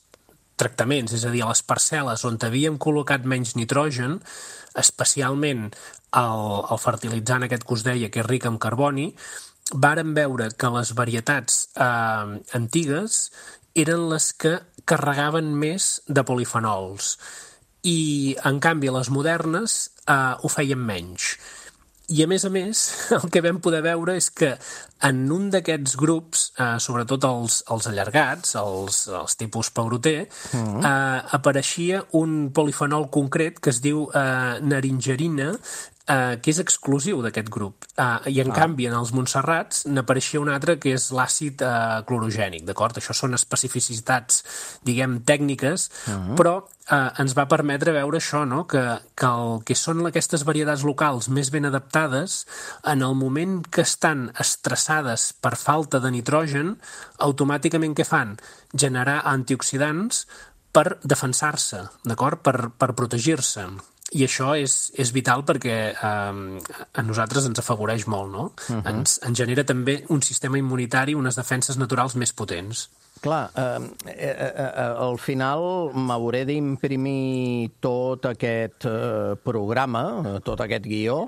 tractaments, és a dir, a les parcel·les on havíem col·locat menys nitrogen, especialment el fertilitzant aquest que us deia, que és ric en carboni, vàrem veure que les varietats antigues eren les que carregaven més de polifenols i, en canvi, les modernes ho feien menys. I, a més, el que vam poder veure és que en un d'aquests grups, sobretot els allargats, els tipus pauroter, apareixia un polifenol concret que es diu naringerina, que és exclusiu d'aquest grup. I, en canvi, en els Montserrats n'apareixia un altre que és l'àcid clorogènic, d'acord? Això són especificitats, diguem, tècniques, però ens va permetre veure això, no? Que el que són aquestes varietats locals més ben adaptades, en el moment que estan estressades per falta de nitrogen, automàticament què fan? Generar antioxidants per defensar-se, d'acord? Per protegir-se. I això és vital perquè a nosaltres ens afavoreix molt, no? Ens genera també un sistema immunitari, unes defenses naturals més potents. Clar, al final m'hauré d'imprimir tot aquest programa, tot aquest guió,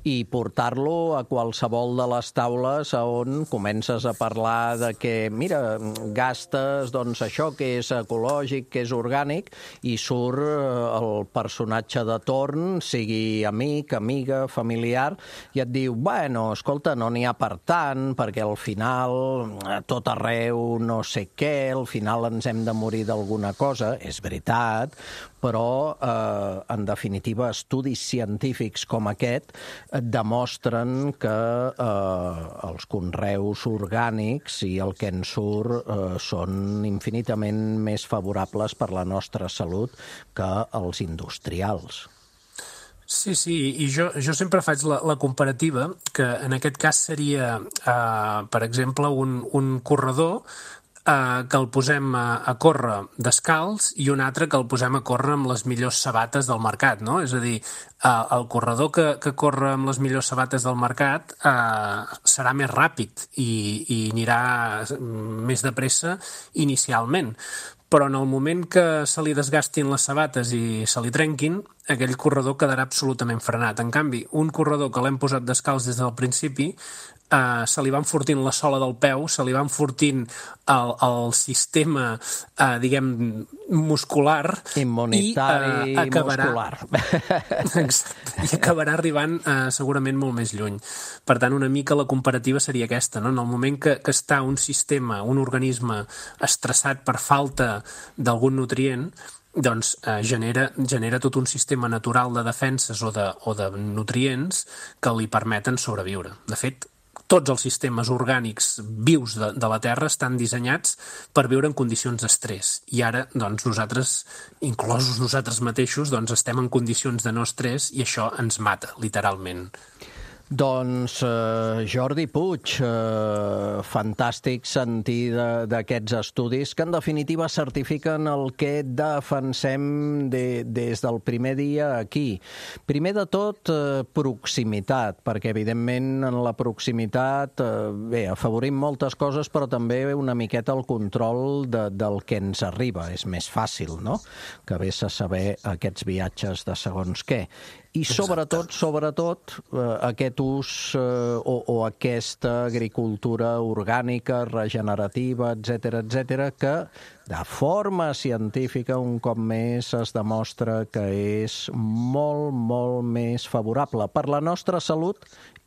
i portar-lo a qualsevol de les taules on comences a parlar de que, mira, gastes doncs, això que és ecològic, que és orgànic, i surt el personatge de torn, sigui amic, amiga, familiar, i et diu, bueno, escolta, no n'hi ha per tant, perquè al final tot arreu no sé què, al final ens hem de morir d'alguna cosa, és veritat, però, en definitiva, estudis científics com aquest demostren que els conreus orgànics i el que en surt són infinitament més favorables per la nostra salut que els industrials. Sí, i jo sempre faig la comparativa, que en aquest cas seria, per exemple, un corredor que el posem a córrer descalç i un altre que el posem a córrer amb les millors sabates del mercat, no? És a dir, el corredor que corre amb les millors sabates del mercat serà més ràpid i anirà més de pressa inicialment. Però en el moment que se li desgastin les sabates i se li trenquin, aquell corredor quedarà absolutament frenat. En canvi, un corredor que l'hem posat descalç des del principi, se li va enfortint la sola del peu, se li va enfortint el sistema, diguem, muscular, immunitari i muscular. Exacte, i acabarà arribant segurament molt més lluny. Per tant, una mica la comparativa seria aquesta, no? En el moment que està un sistema, un organisme estressat per falta d'algun nutrient, doncs genera tot un sistema natural de defenses o de nutrients que li permeten sobreviure. De fet, tots els sistemes orgànics vius de la Terra estan dissenyats per viure en condicions d'estrès. I ara, doncs, nosaltres, inclosos nosaltres mateixos, doncs, estem en condicions de no estrès i això ens mata, literalment. Doncs Jordi Puig, fantàstic sentir d'aquests estudis que en definitiva certifiquen el que defensem des del primer dia aquí. Primer de tot, proximitat, perquè evidentment en la proximitat afavorim moltes coses, però també una miqueta el control del que ens arriba. És més fàcil, no?, que vés a saber aquests viatges de segons què. I sobretot, aquest ús o aquesta agricultura orgànica, regenerativa, etc., que de forma científica, un cop més, es demostra que és molt, molt més favorable per la nostra salut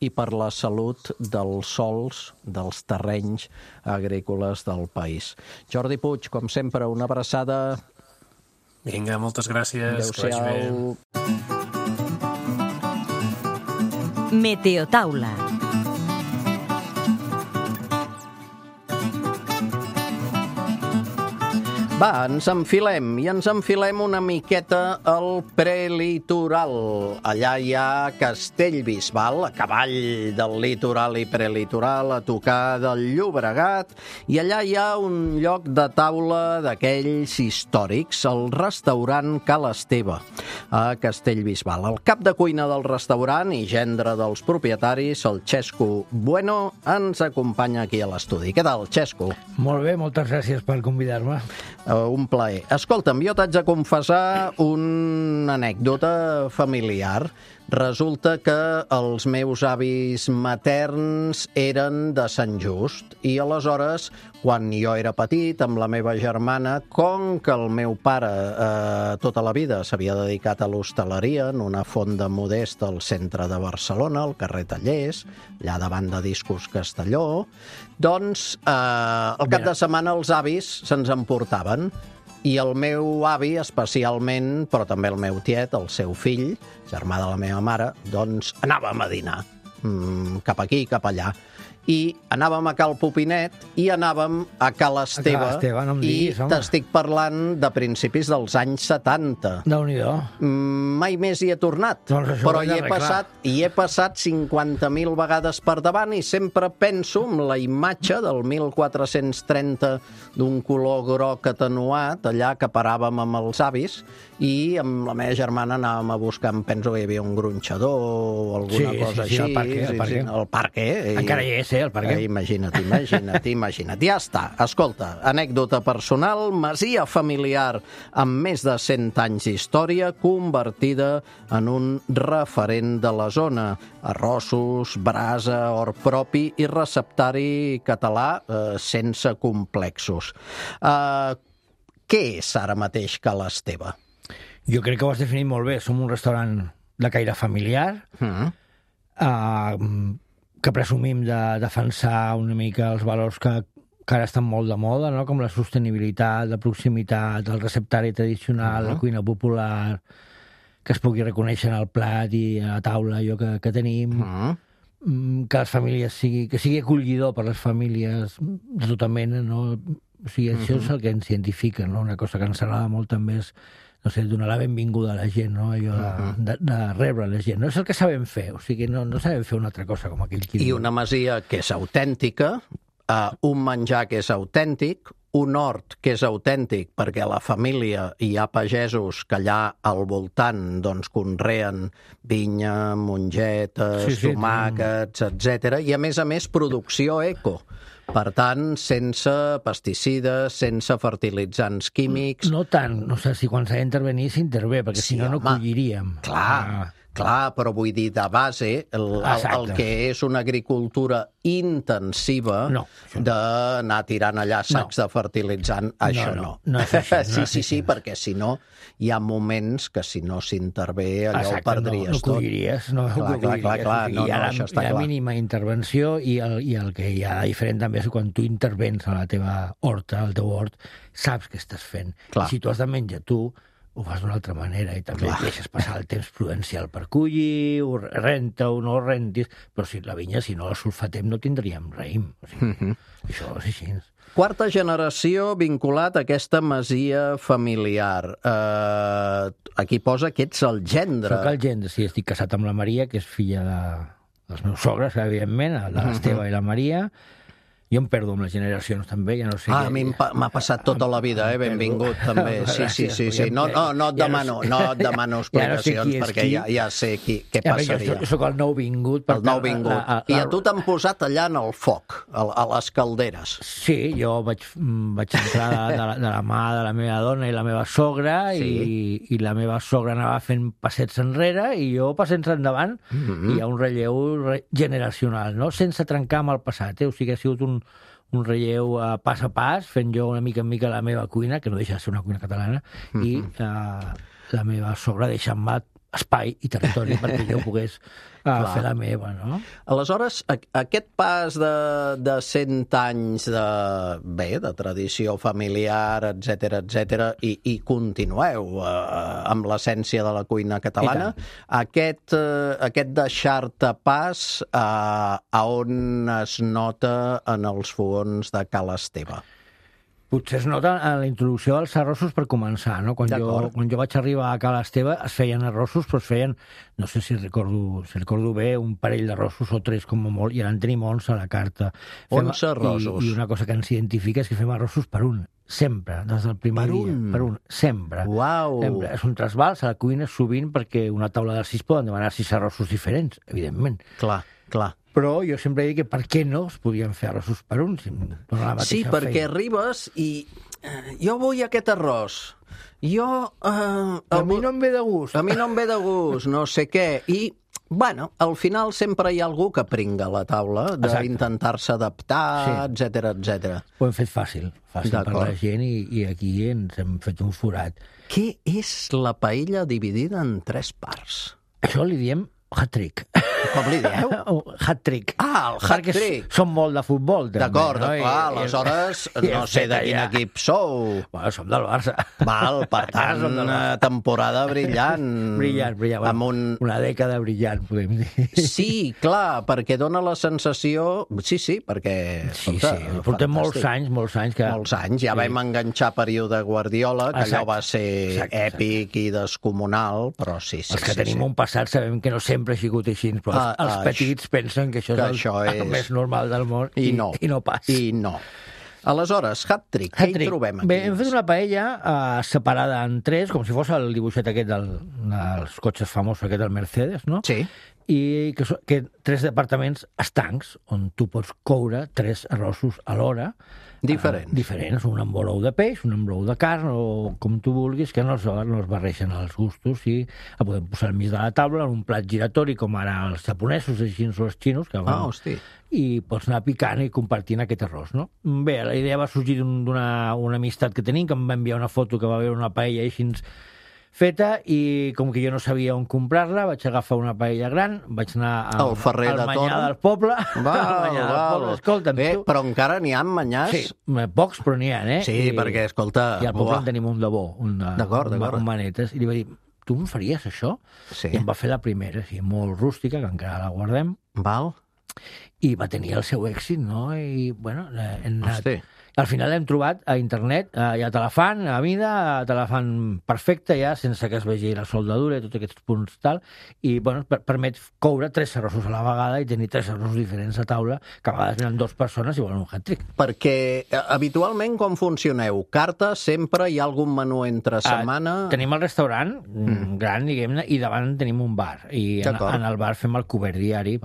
i per la salut dels sols, dels terrenys agrícoles del país. Jordi Puig, com sempre, una abraçada. Vinga, moltes gràcies. Adéu-siau. Meteotaula. Va, ens enfilem una miqueta al prelitoral. Allà hi ha Castellbisbal, a cavall del litoral i prelitoral, a tocar del Llobregat, i allà hi ha un lloc de taula d'aquells històrics, el restaurant Cal Esteve, a Castellbisbal. El cap de cuina del restaurant i gendre dels propietaris, el Xesco Bueno, ens acompanya aquí a l'estudi. Què tal, Xesco? Molt bé, moltes gràcies per convidar-me. Un plaer. Escolta'm, jo t'haig de confessar una anècdota familiar. Resulta que els meus avis materns eren de Sant Just i aleshores, quan jo era petit, amb la meva germana, com que el meu pare tota la vida s'havia dedicat a l'hostaleria en una fonda modesta al centre de Barcelona, al carrer Tallers, allà davant de Discos Castelló, doncs al cap de setmana els avis se'ns emportaven. I el meu avi, especialment, però també el meu tiet, el seu fill, germà de la meva mare, doncs anàvem a dinar, cap aquí, cap allà. I anàvem a Cal Pupinet i anàvem a Cal Esteve. No em diguis, i t'estic parlant de principis dels anys 70. Déu-n'hi-do. Mai més hi he tornat, Doncs però hi he passat 50.000 vegades per davant i sempre penso en la imatge del 1430 d'un color groc atenuat, allà que paràvem amb els avis, i amb la meva germana anàvem a buscar, em penso que hi havia un gronxador o alguna cosa així. El parque. Encara hi és, el parque. Imagina't. Ja està. Escolta, anècdota personal, masia familiar amb més de 100 anys d'història, convertida en un referent de la zona. Arrossos, brasa, hort propi i receptari català sense complexos. Què és ara mateix Cal Esteve? Jo crec que ho has definit molt bé. Som un restaurant de caire familiar, que presumim de defensar una mica els valors que ara estan molt de moda, no? Com la sostenibilitat, la proximitat, el receptari tradicional, la cuina popular, que es pugui reconèixer en el plat i a la taula allò que tenim, que les famílies que sigui acollidor per les famílies de tota mena, no? O sigui, això és el que ens identifica, no? Una cosa que ens agrada molt també és, no sé, donar la benvinguda a la gent, no? Allò de rebre la gent. No és el que sabem fer, o sigui, no sabem fer una altra cosa com aquell qui... I una masia que és autèntica, un menjar que és autèntic, un hort que és autèntic perquè a la família hi ha pagesos que allà al voltant doncs conreen vinya, mongetes, tomàquets, etc. I a més producció eco. Per tant, sense pesticides, sense fertilitzants químics... No tant, no sé si quan s'ha d'intervenir s'intervé, perquè si no colliríem. Clar, però vull dir, de base, el que és una agricultura intensiva d'anar tirant allà sacs de fertilitzant, això no. No és així. Sí, perquè si no, hi ha moments que si no s'intervé allò ho perdries tot. No colliries. Clar, hi ha la mínima intervenció i el que hi ha diferent també és quan tu intervens a la teva horta, al teu hort, saps què estàs fent. I si tu has de menjar tu, ho fas d'una altra manera i també deixes passar el temps prudencial per collir, renta-ho, no ho rentis, però si la vinya, si no la sulfatem, no tindríem raïm. O sigui, això és així. Quarta generació vinculat a aquesta masia familiar. Aquí posa que ets el gendre. Soc el gendre, sí, estic casat amb la Maria, que és filla dels meus sogres, evidentment, de l'Esteve i la Maria, Jo em perdo amb les generacions, també, ja no sé A mi m'ha passat tota la vida, benvingut, també. Sí. No et demano explicacions, perquè ja sé què passaria. Jo soc el nou vingut. El nou vingut. I a tu t'han posat allà en el foc, a les calderes. Sí, jo vaig entrar de la mà de la meva dona i la meva sogra, i la meva sogra anava fent passets enrere i jo passets endavant, i hi ha un relleu generacional, no? Sense trencar amb el passat, o sigui, ha sigut un relleu pas a pas, fent jo una mica en mica la meva cuina, que no deixa de ser una cuina catalana, i la meva sogra deixant-me espai i territori perquè jo pogués fer la meva, no? Aleshores, aquest pas de 100 anys de tradició familiar, etc., i continueu amb l'essència de la cuina catalana, aquest deixar-te pas a on es nota en els fogons de Ca l'Esteve? Potser es nota en la introducció dels arrossos per començar, no? Quan jo vaig arribar a Ca l'Esteve es feien arrossos, però es feien, no sé si recordo bé, un parell d'arrossos o 3 com a molt, i ara en tenim 11 a la carta. 11 arrossos. I una cosa que ens identifica és que fem arrossos per un, sempre, des del primer dia. Per un, sempre. Uau! Sempre. És un trasbals a la cuina sovint perquè una taula de 6 poden demanar 6 arrossos diferents, evidentment. Clar. Però jo sempre dic que per què no es podien fer arrossos per un? Sí, perquè arribes i jo vull aquest arròs. A mi no em ve de gust. A mi no em ve de gust, no sé què. I, bueno, al final sempre hi ha algú que pringa a la taula d'intentar-se adaptar, etc. Ho hem fet fàcil per la gent, i aquí ens hem fet un forat. Què és la paella dividida en 3 parts? Això li diem hat-trick. Com li dieu? Hat-trick. El hat-trick. Perquè som molt de futbol, també. D'acord, aleshores no sé de quin equip sou. Bueno, som del Barça. Val, per tant, temporada brillant. Brillant. Amb una dècada brillant, podem dir. Sí, clar, perquè dona la sensació... Sí, perquè... Sí, portem molts anys que... Molts anys, ja vam enganxar període Guardiola, que allò va ser èpic i descomunal, però sí. Els que tenim un passat sabem que no sempre ha sigut així, però els petits pensen que això és el més normal del món i no pas. I no. Aleshores, hat-trick, què hi trobem aquí? Bé, hem fet una paella separada en 3, com si fos el dibuixet aquest dels cotxes famosos, aquest del Mercedes, no? Sí. I que 3 departaments estancs, on tu pots coure 3 arrossos a l'hora. Diferents, un amb brou de peix, un amb brou de carn, o com tu vulguis, que no es barreixen els gustos, i el podem posar al mig de la taula en un plat giratori, com ara els japonesos, així o els xinos, i pots anar picant i compartint aquest arròs, no? Bé, la idea va sorgir d'una amistat que tenim, que em va enviar una foto que va veure una paella així feta, i com que jo no sabia on comprar-la, vaig agafar una paella gran, vaig anar al Manyà del Poble. Escolta'm, però encara n'hi ha manyars? Sí, pocs, però n'hi ha, Sí, perquè, escolta... I al poble en tenim un de bo, un manetes, i li va dir, tu em faries això? Sí. I em va fer la primera, molt rústica, que encara la guardem. Val. I va tenir el seu èxit, no? I, bueno, hem anat... Al final hem trobat a internet, ja te la fan a mida, te la fan perfecta ja, sense que es vegi la soldadura i tots aquests punts tal, i bueno, permet coure 3 arrossos a la vegada i tenir 3 arrossos diferents a taula, que a vegades venen 2 persones i volen un hat-trick. Perquè habitualment com funcioneu? Carta, sempre hi ha algun menú entre setmana? Tenim el restaurant gran, diguem-ne, i davant tenim un bar, i en el bar fem el cobert diari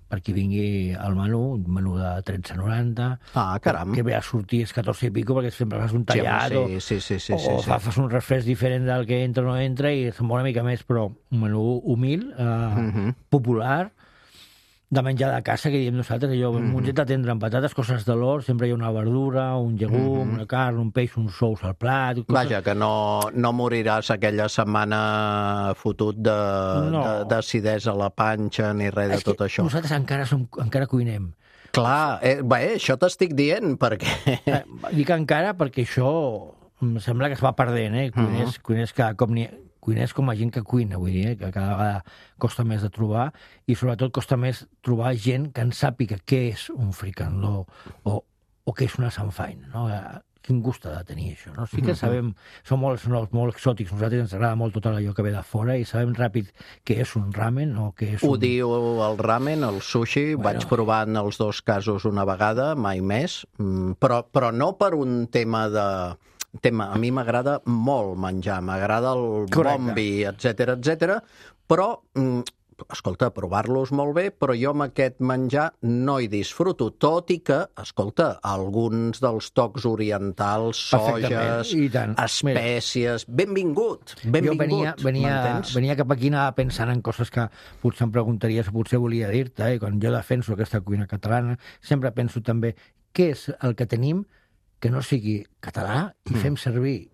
per qui vingui al menú, un menú de 13,90. Caram. Que ve a sortir és 14 i pico, perquè sempre fas un tallat, o fas un refresc diferent del que entra o no entra, i se'n va una mica més, però un menú humil, popular, de menjar de casa, que diem nosaltres, allò, un monget de tendre amb patates, coses de l'hort, sempre hi ha una verdura, un llegum, una carn, un peix, un sous al plat... Vaja, que no moriràs aquella setmana fotut d'acidesa a la panxa ni res de tot això. Nosaltres encara cuinem. Clar, això t'estic dient, perquè... Dic encara perquè això em sembla que es va perdent, cuiners cada cop n'hi ha... Cuiners com a gent que cuina, vull dir, que cada vegada costa més de trobar, i sobretot costa més trobar gent que en sàpiga què és un fricandó o què és una samfaina, no? quin gust ha de tenir això, no? Sí que sabem, som molt exòtics, nosaltres ens agrada molt tot allò que ve de fora i sabem ràpid què és un ramen o què és Ho diu el ramen, el sushi, vaig provar en els dos casos una vegada, mai més, però no per un tema de... A mi m'agrada molt menjar, m'agrada el bon vi, etc, però... escolta, provar-los molt bé, però jo amb aquest menjar no hi disfruto, tot i que, escolta, alguns dels tocs orientals, soges, espècies, benvingut, jo venia cap aquí, anava pensant en coses que potser em preguntaries o potser volia dir-te, quan jo defenso aquesta cuina catalana, sempre penso també què és el que tenim que no sigui català i fem servir,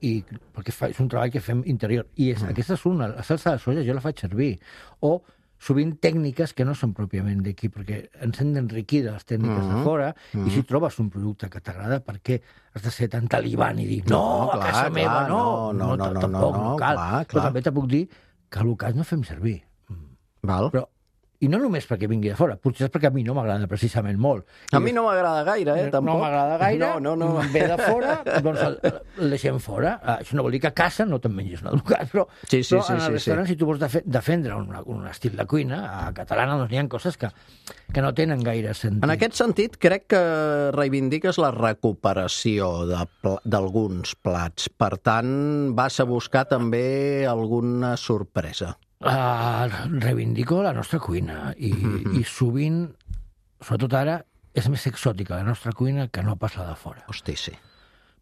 perquè és un treball que fem interior, i aquesta és una, la salsa de soja jo la faig servir, o sovint tècniques que no són pròpiament d'aquí, perquè ens hem d'enriquir de les tècniques de fora, i si trobes un producte que t'agrada, per què has de ser tan talibán i dir no, a casa meva tampoc no cal. Però també te puc dir que el cas no fem servir. Però i no només perquè vingui de fora, potser és perquè a mi no m'agrada precisament molt. A mi no m'agrada gaire, tampoc. No m'agrada gaire, ve de fora, doncs el deixem fora. Això no vol dir que a casa no te'n mengis un educat, però en el restaurant, si tu vols defendre un estil de cuina catalana, doncs n'hi ha coses que no tenen gaire sentit. En aquest sentit, crec que reivindiques la recuperació d'alguns plats. Per tant, vas a buscar també alguna sorpresa. Reivindico la nostra cuina i sovint, sobretot ara, és més exòtica la nostra cuina que no pas la de fora. Hosti, sí.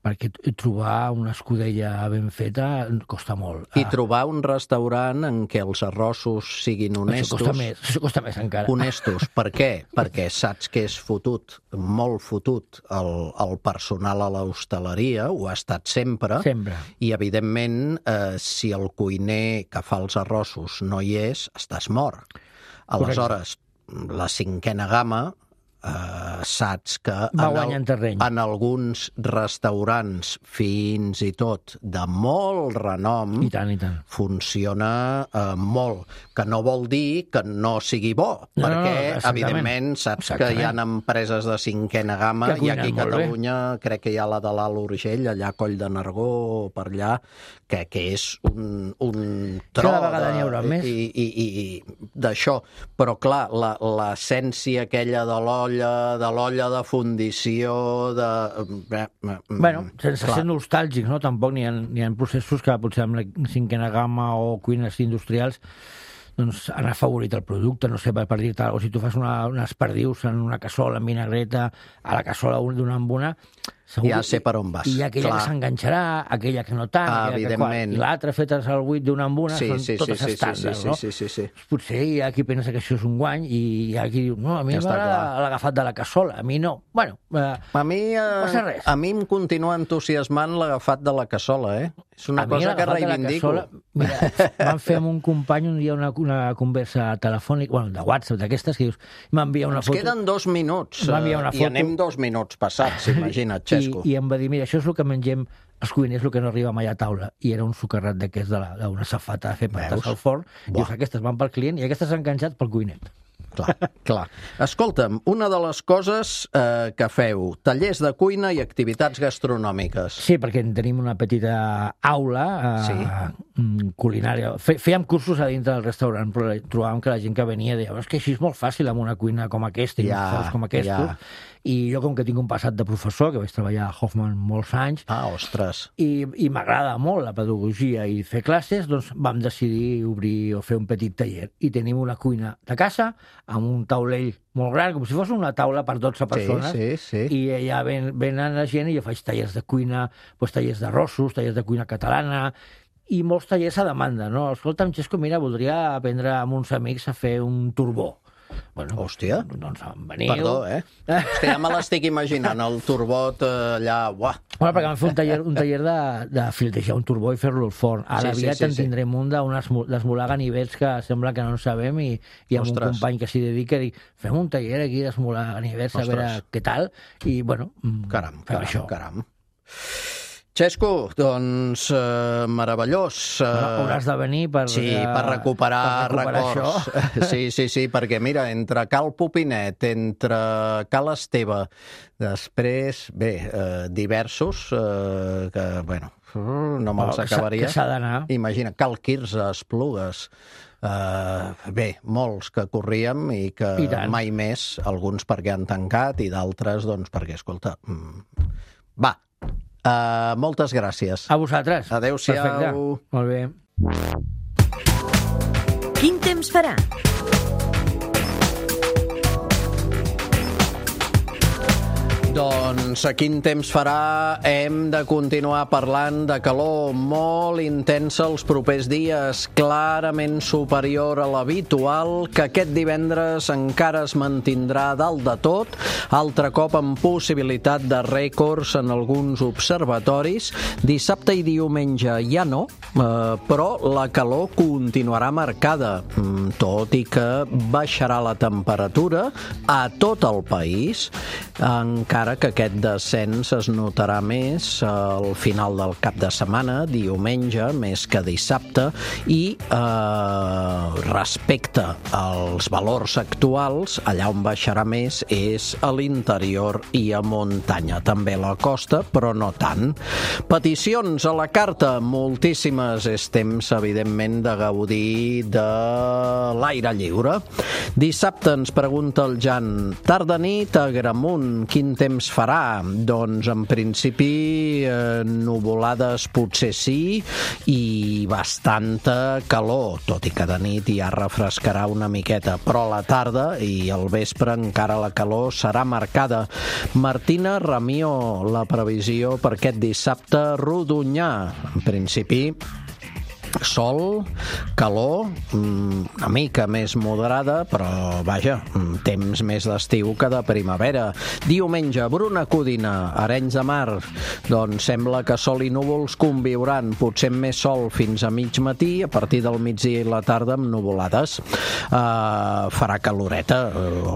Perquè trobar una escudella ben feta costa molt. I trobar un restaurant en què els arrossos siguin honestos... Això costa més encara. Honestos. Per què? Perquè saps que és fotut, molt fotut, el personal a l'hostaleria, ho ha estat sempre. Sempre. I, evidentment, si el cuiner que fa els arrossos no hi és, estàs mort. Aleshores, la cinquena gamma... saps que en alguns restaurants fins i tot de molt renom i tant. Funciona molt, que no vol dir que no sigui bo, perquè evidentment saps que hi ha empreses de cinquena gamma i aquí a Catalunya crec que hi ha la de l'Alt Urgell, allà a Coll de Nargó per allà, que és un tro cada vegada n'hi haurà més i d'això, però clar, l'essència aquella de l'olla de fundició sense ser nostàlgics, no? Tampoc n'hi ha processos que potser amb la cinquena gamma o cuines industrials doncs han afavorit el producte, no sé, per dir-te alguna cosa, si tu fas unes perdius en una cassola amb vinagreta, a la cassola d'una amb una, ja sé per on vas. I aquella que s'enganxarà, aquella que no tant, i l'altra feta al buit d'una amb una, són totes estàndards, no? Sí. Potser hi ha qui pensa que això és un guany i hi ha qui diu, no, a mi m'agrada l'agafat de la cassola, a mi no. Bueno, a mi em continua entusiasmant l'agafat de la cassola, És una cosa que reivindico. Mira, vam fer amb un company un dia una conversa telefònica, de WhatsApp, d'aquestes, que dius, m'envia una foto... Ens queden 2 minuts i anem 2 minuts passats, imagina't, Xesco. I em va dir, mira, això és el que mengem els cuiners, el que no arriba mai a taula. I era un sucarrat d'aquests d'una safata a fer patats al forn. Dius, aquestes van pel client i aquestes s'han enganxat pel cuiner. Clar. Escolta'm, una de les coses que feu, tallers de cuina i activitats gastronòmiques. Sí, perquè tenim una petita aula culinària. Fèiem cursos a dintre del restaurant, però trobàvem que la gent que venia deia, és que així és molt fàcil amb una cuina com aquesta i uns forns com aquests. I jo, com que tinc un passat de professor, que vaig treballar a Hoffman molts anys, ostres! I m'agrada molt la pedagogia i fer classes, doncs vam decidir obrir o fer un petit taller. I tenim una cuina de casa, amb un taulell molt gran, com si fos una taula per 12 persones, i allà venen la gent i jo faig tallers de cuina, tallers d'arrossos, tallers de cuina catalana, i molts tallers a demanda, no? Escolta'm, Xesco, mira, voldria aprendre amb uns amics a fer un turbó. Bueno, hòstia, doncs veniu. Perdó, Hòstia, ja me l'estic imaginant, el turbot allà, uah. Bueno, perquè vam fer un taller de filtrejar un turbó i fer-lo al forn. Ara aviat en tindrem un d'esmolar ganivets que sembla que no en sabem i amb un company que s'hi dedica i dic, fem un taller aquí d'esmolar ganivets a veure què tal i, bueno, fem això. Caram. Xesco, doncs meravellós. Hauràs de venir per recuperar records. Sí, perquè mira, entre Cal Pupinet, entre Cal Esteve, després, diversos, que, bueno, no me'ls acabaria. Que s'ha d'anar. Imagina, Cal Quirze, Esplugues, molts que corríem i que mai més, alguns perquè han tancat i d'altres, doncs, perquè, escolta, va, moltes gràcies. A vosaltres. Adéu-siau. Perfecte. Molt bé. Quin temps farà? Doncs a quin temps farà? Hem de continuar parlant de calor molt intensa els propers dies, clarament superior a l'habitual, que aquest divendres encara es mantindrà dalt de tot, altre cop amb possibilitat de rècords en alguns observatoris. Dissabte i diumenge ja no, però la calor continuarà marcada, tot i que baixarà la temperatura a tot el país, encara que aquest descens es notarà més al final del cap de setmana, diumenge, més que dissabte, i respecte als valors actuals, allà on baixarà més és a l'interior i a muntanya. També a la costa, però no tant. Peticions a la carta, moltíssimes. És temps, evidentment, de gaudir de l'aire lliure. Dissabte ens pregunta el Jan, tarda-nit a Gramunt, quin temps farà? Doncs en principi nuvolades potser sí i bastanta calor, tot i que de nit ja refrescarà una miqueta, però a la tarda i al vespre encara la calor serà marcada. Martina Ramió, la previsió per aquest dissabte a Rodonyà, en principi sol, calor, una mica més moderada, però vaja, temps més d'estiu que de primavera. Diumenge, Bruna Codina, Arenys de Mar, doncs sembla que sol i núvols conviuran, potser amb més sol fins a mig matí, a partir del migdia i la tarda amb nuvolades. Farà caloreta,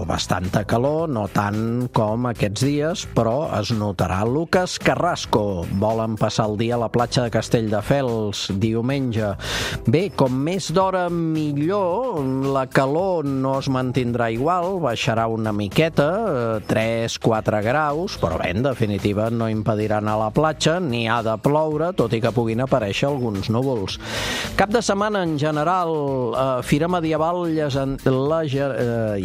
o bastanta calor, no tant com aquests dies, però es notarà. Lucas Carrasco, volen passar el dia a la platja de Castelldefels, diumenge. Bé, com més d'hora millor, la calor no es mantindrà igual, baixarà una miqueta, 3-4 graus, però bé, en definitiva no impedirà anar a la platja, ni ha de ploure, tot i que puguin aparèixer alguns núvols. Cap de setmana en general, Fira Medieval, ja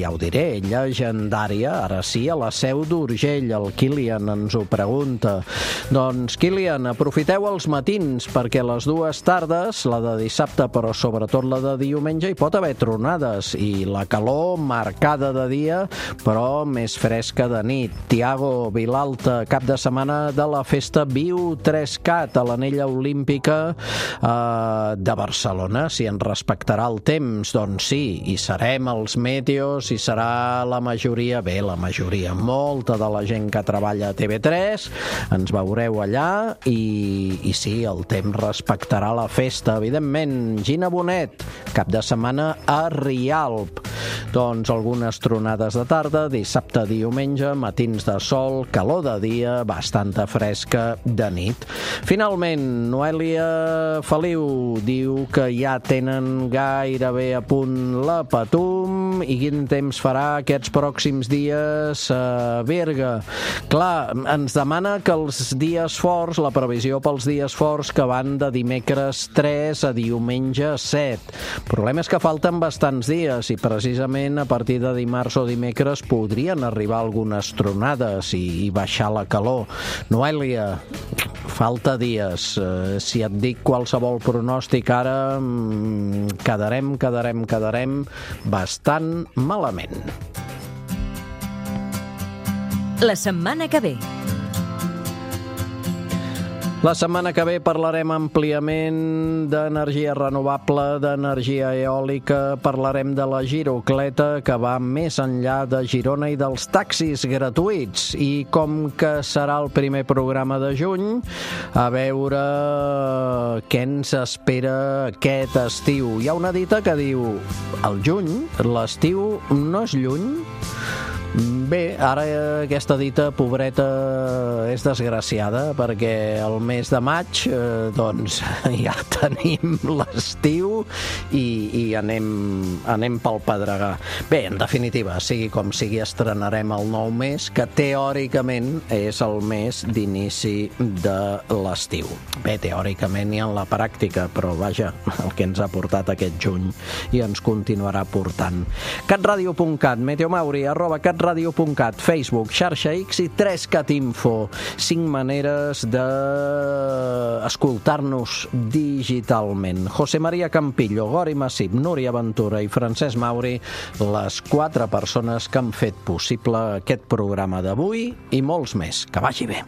ho diré, llegendària, ara sí, a la Seu d'Urgell, el Kilian ens ho pregunta. Doncs, Kilian, aprofiteu els matins, perquè les dues tardes, la de dissabte, però sobretot la de diumenge, hi pot haver tronades i la calor marcada de dia, però més fresca de nit. Tiago Vilalta, cap de setmana de la festa Viu 3Cat a l'Anella Olímpica de Barcelona. Si ens respectarà el temps, doncs sí, hi serem els meteos, hi serà la majoria, molta de la gent que treballa a TV3, ens veureu allà i sí, el temps respectarà la festa, evidentment. Gina Bonet, cap de setmana a Rialp. Doncs algunes tronades de tarda, dissabte, diumenge, matins de sol, calor de dia, bastanta fresca de nit. Finalment, Noèlia Feliu diu que ja tenen gairebé a punt la Patum i quin temps farà aquests pròxims dies a Berga. Clar, ens demana que els dies forts, la previsió pels dies forts que van de dimecres 3 a diumenge 7. El problema és que falten bastants dies i precisament a partir de dimarts o dimecres podrien arribar algunes tronades i baixar la calor. Noèlia, falta dies. Si et dic qualsevol pronòstic ara, quedarem bastant malament. La setmana que ve. La setmana que ve parlarem àmpliament d'energia renovable, d'energia eòlica, parlarem de la girocleta que va més enllà de Girona i dels taxis gratuïts. I com que serà el primer programa de juny, a veure què ens espera aquest estiu. Hi ha una dita que diu, el juny, l'estiu no és lluny, Bé, ara aquesta dita pobreta és desgraciada perquè el mes de maig doncs ja tenim l'estiu i anem pel pedregar. Bé, en definitiva, sigui com sigui, estrenarem el nou mes, que teòricament és el mes d'inici de l'estiu. Bé, teòricament i en la pràctica, però vaja, el que ens ha portat aquest juny i ens continuarà portant. catradio.cat, Meteomauri, @catradio.cat, Facebook, xarxa X i 3catinfo. 5 maneres d'escoltar-nos digitalment. José María Campillo, Gori Massip, Núria Ventura i Francesc Mauri, les 4 persones que han fet possible aquest programa d'avui i molts més. Que vagi bé.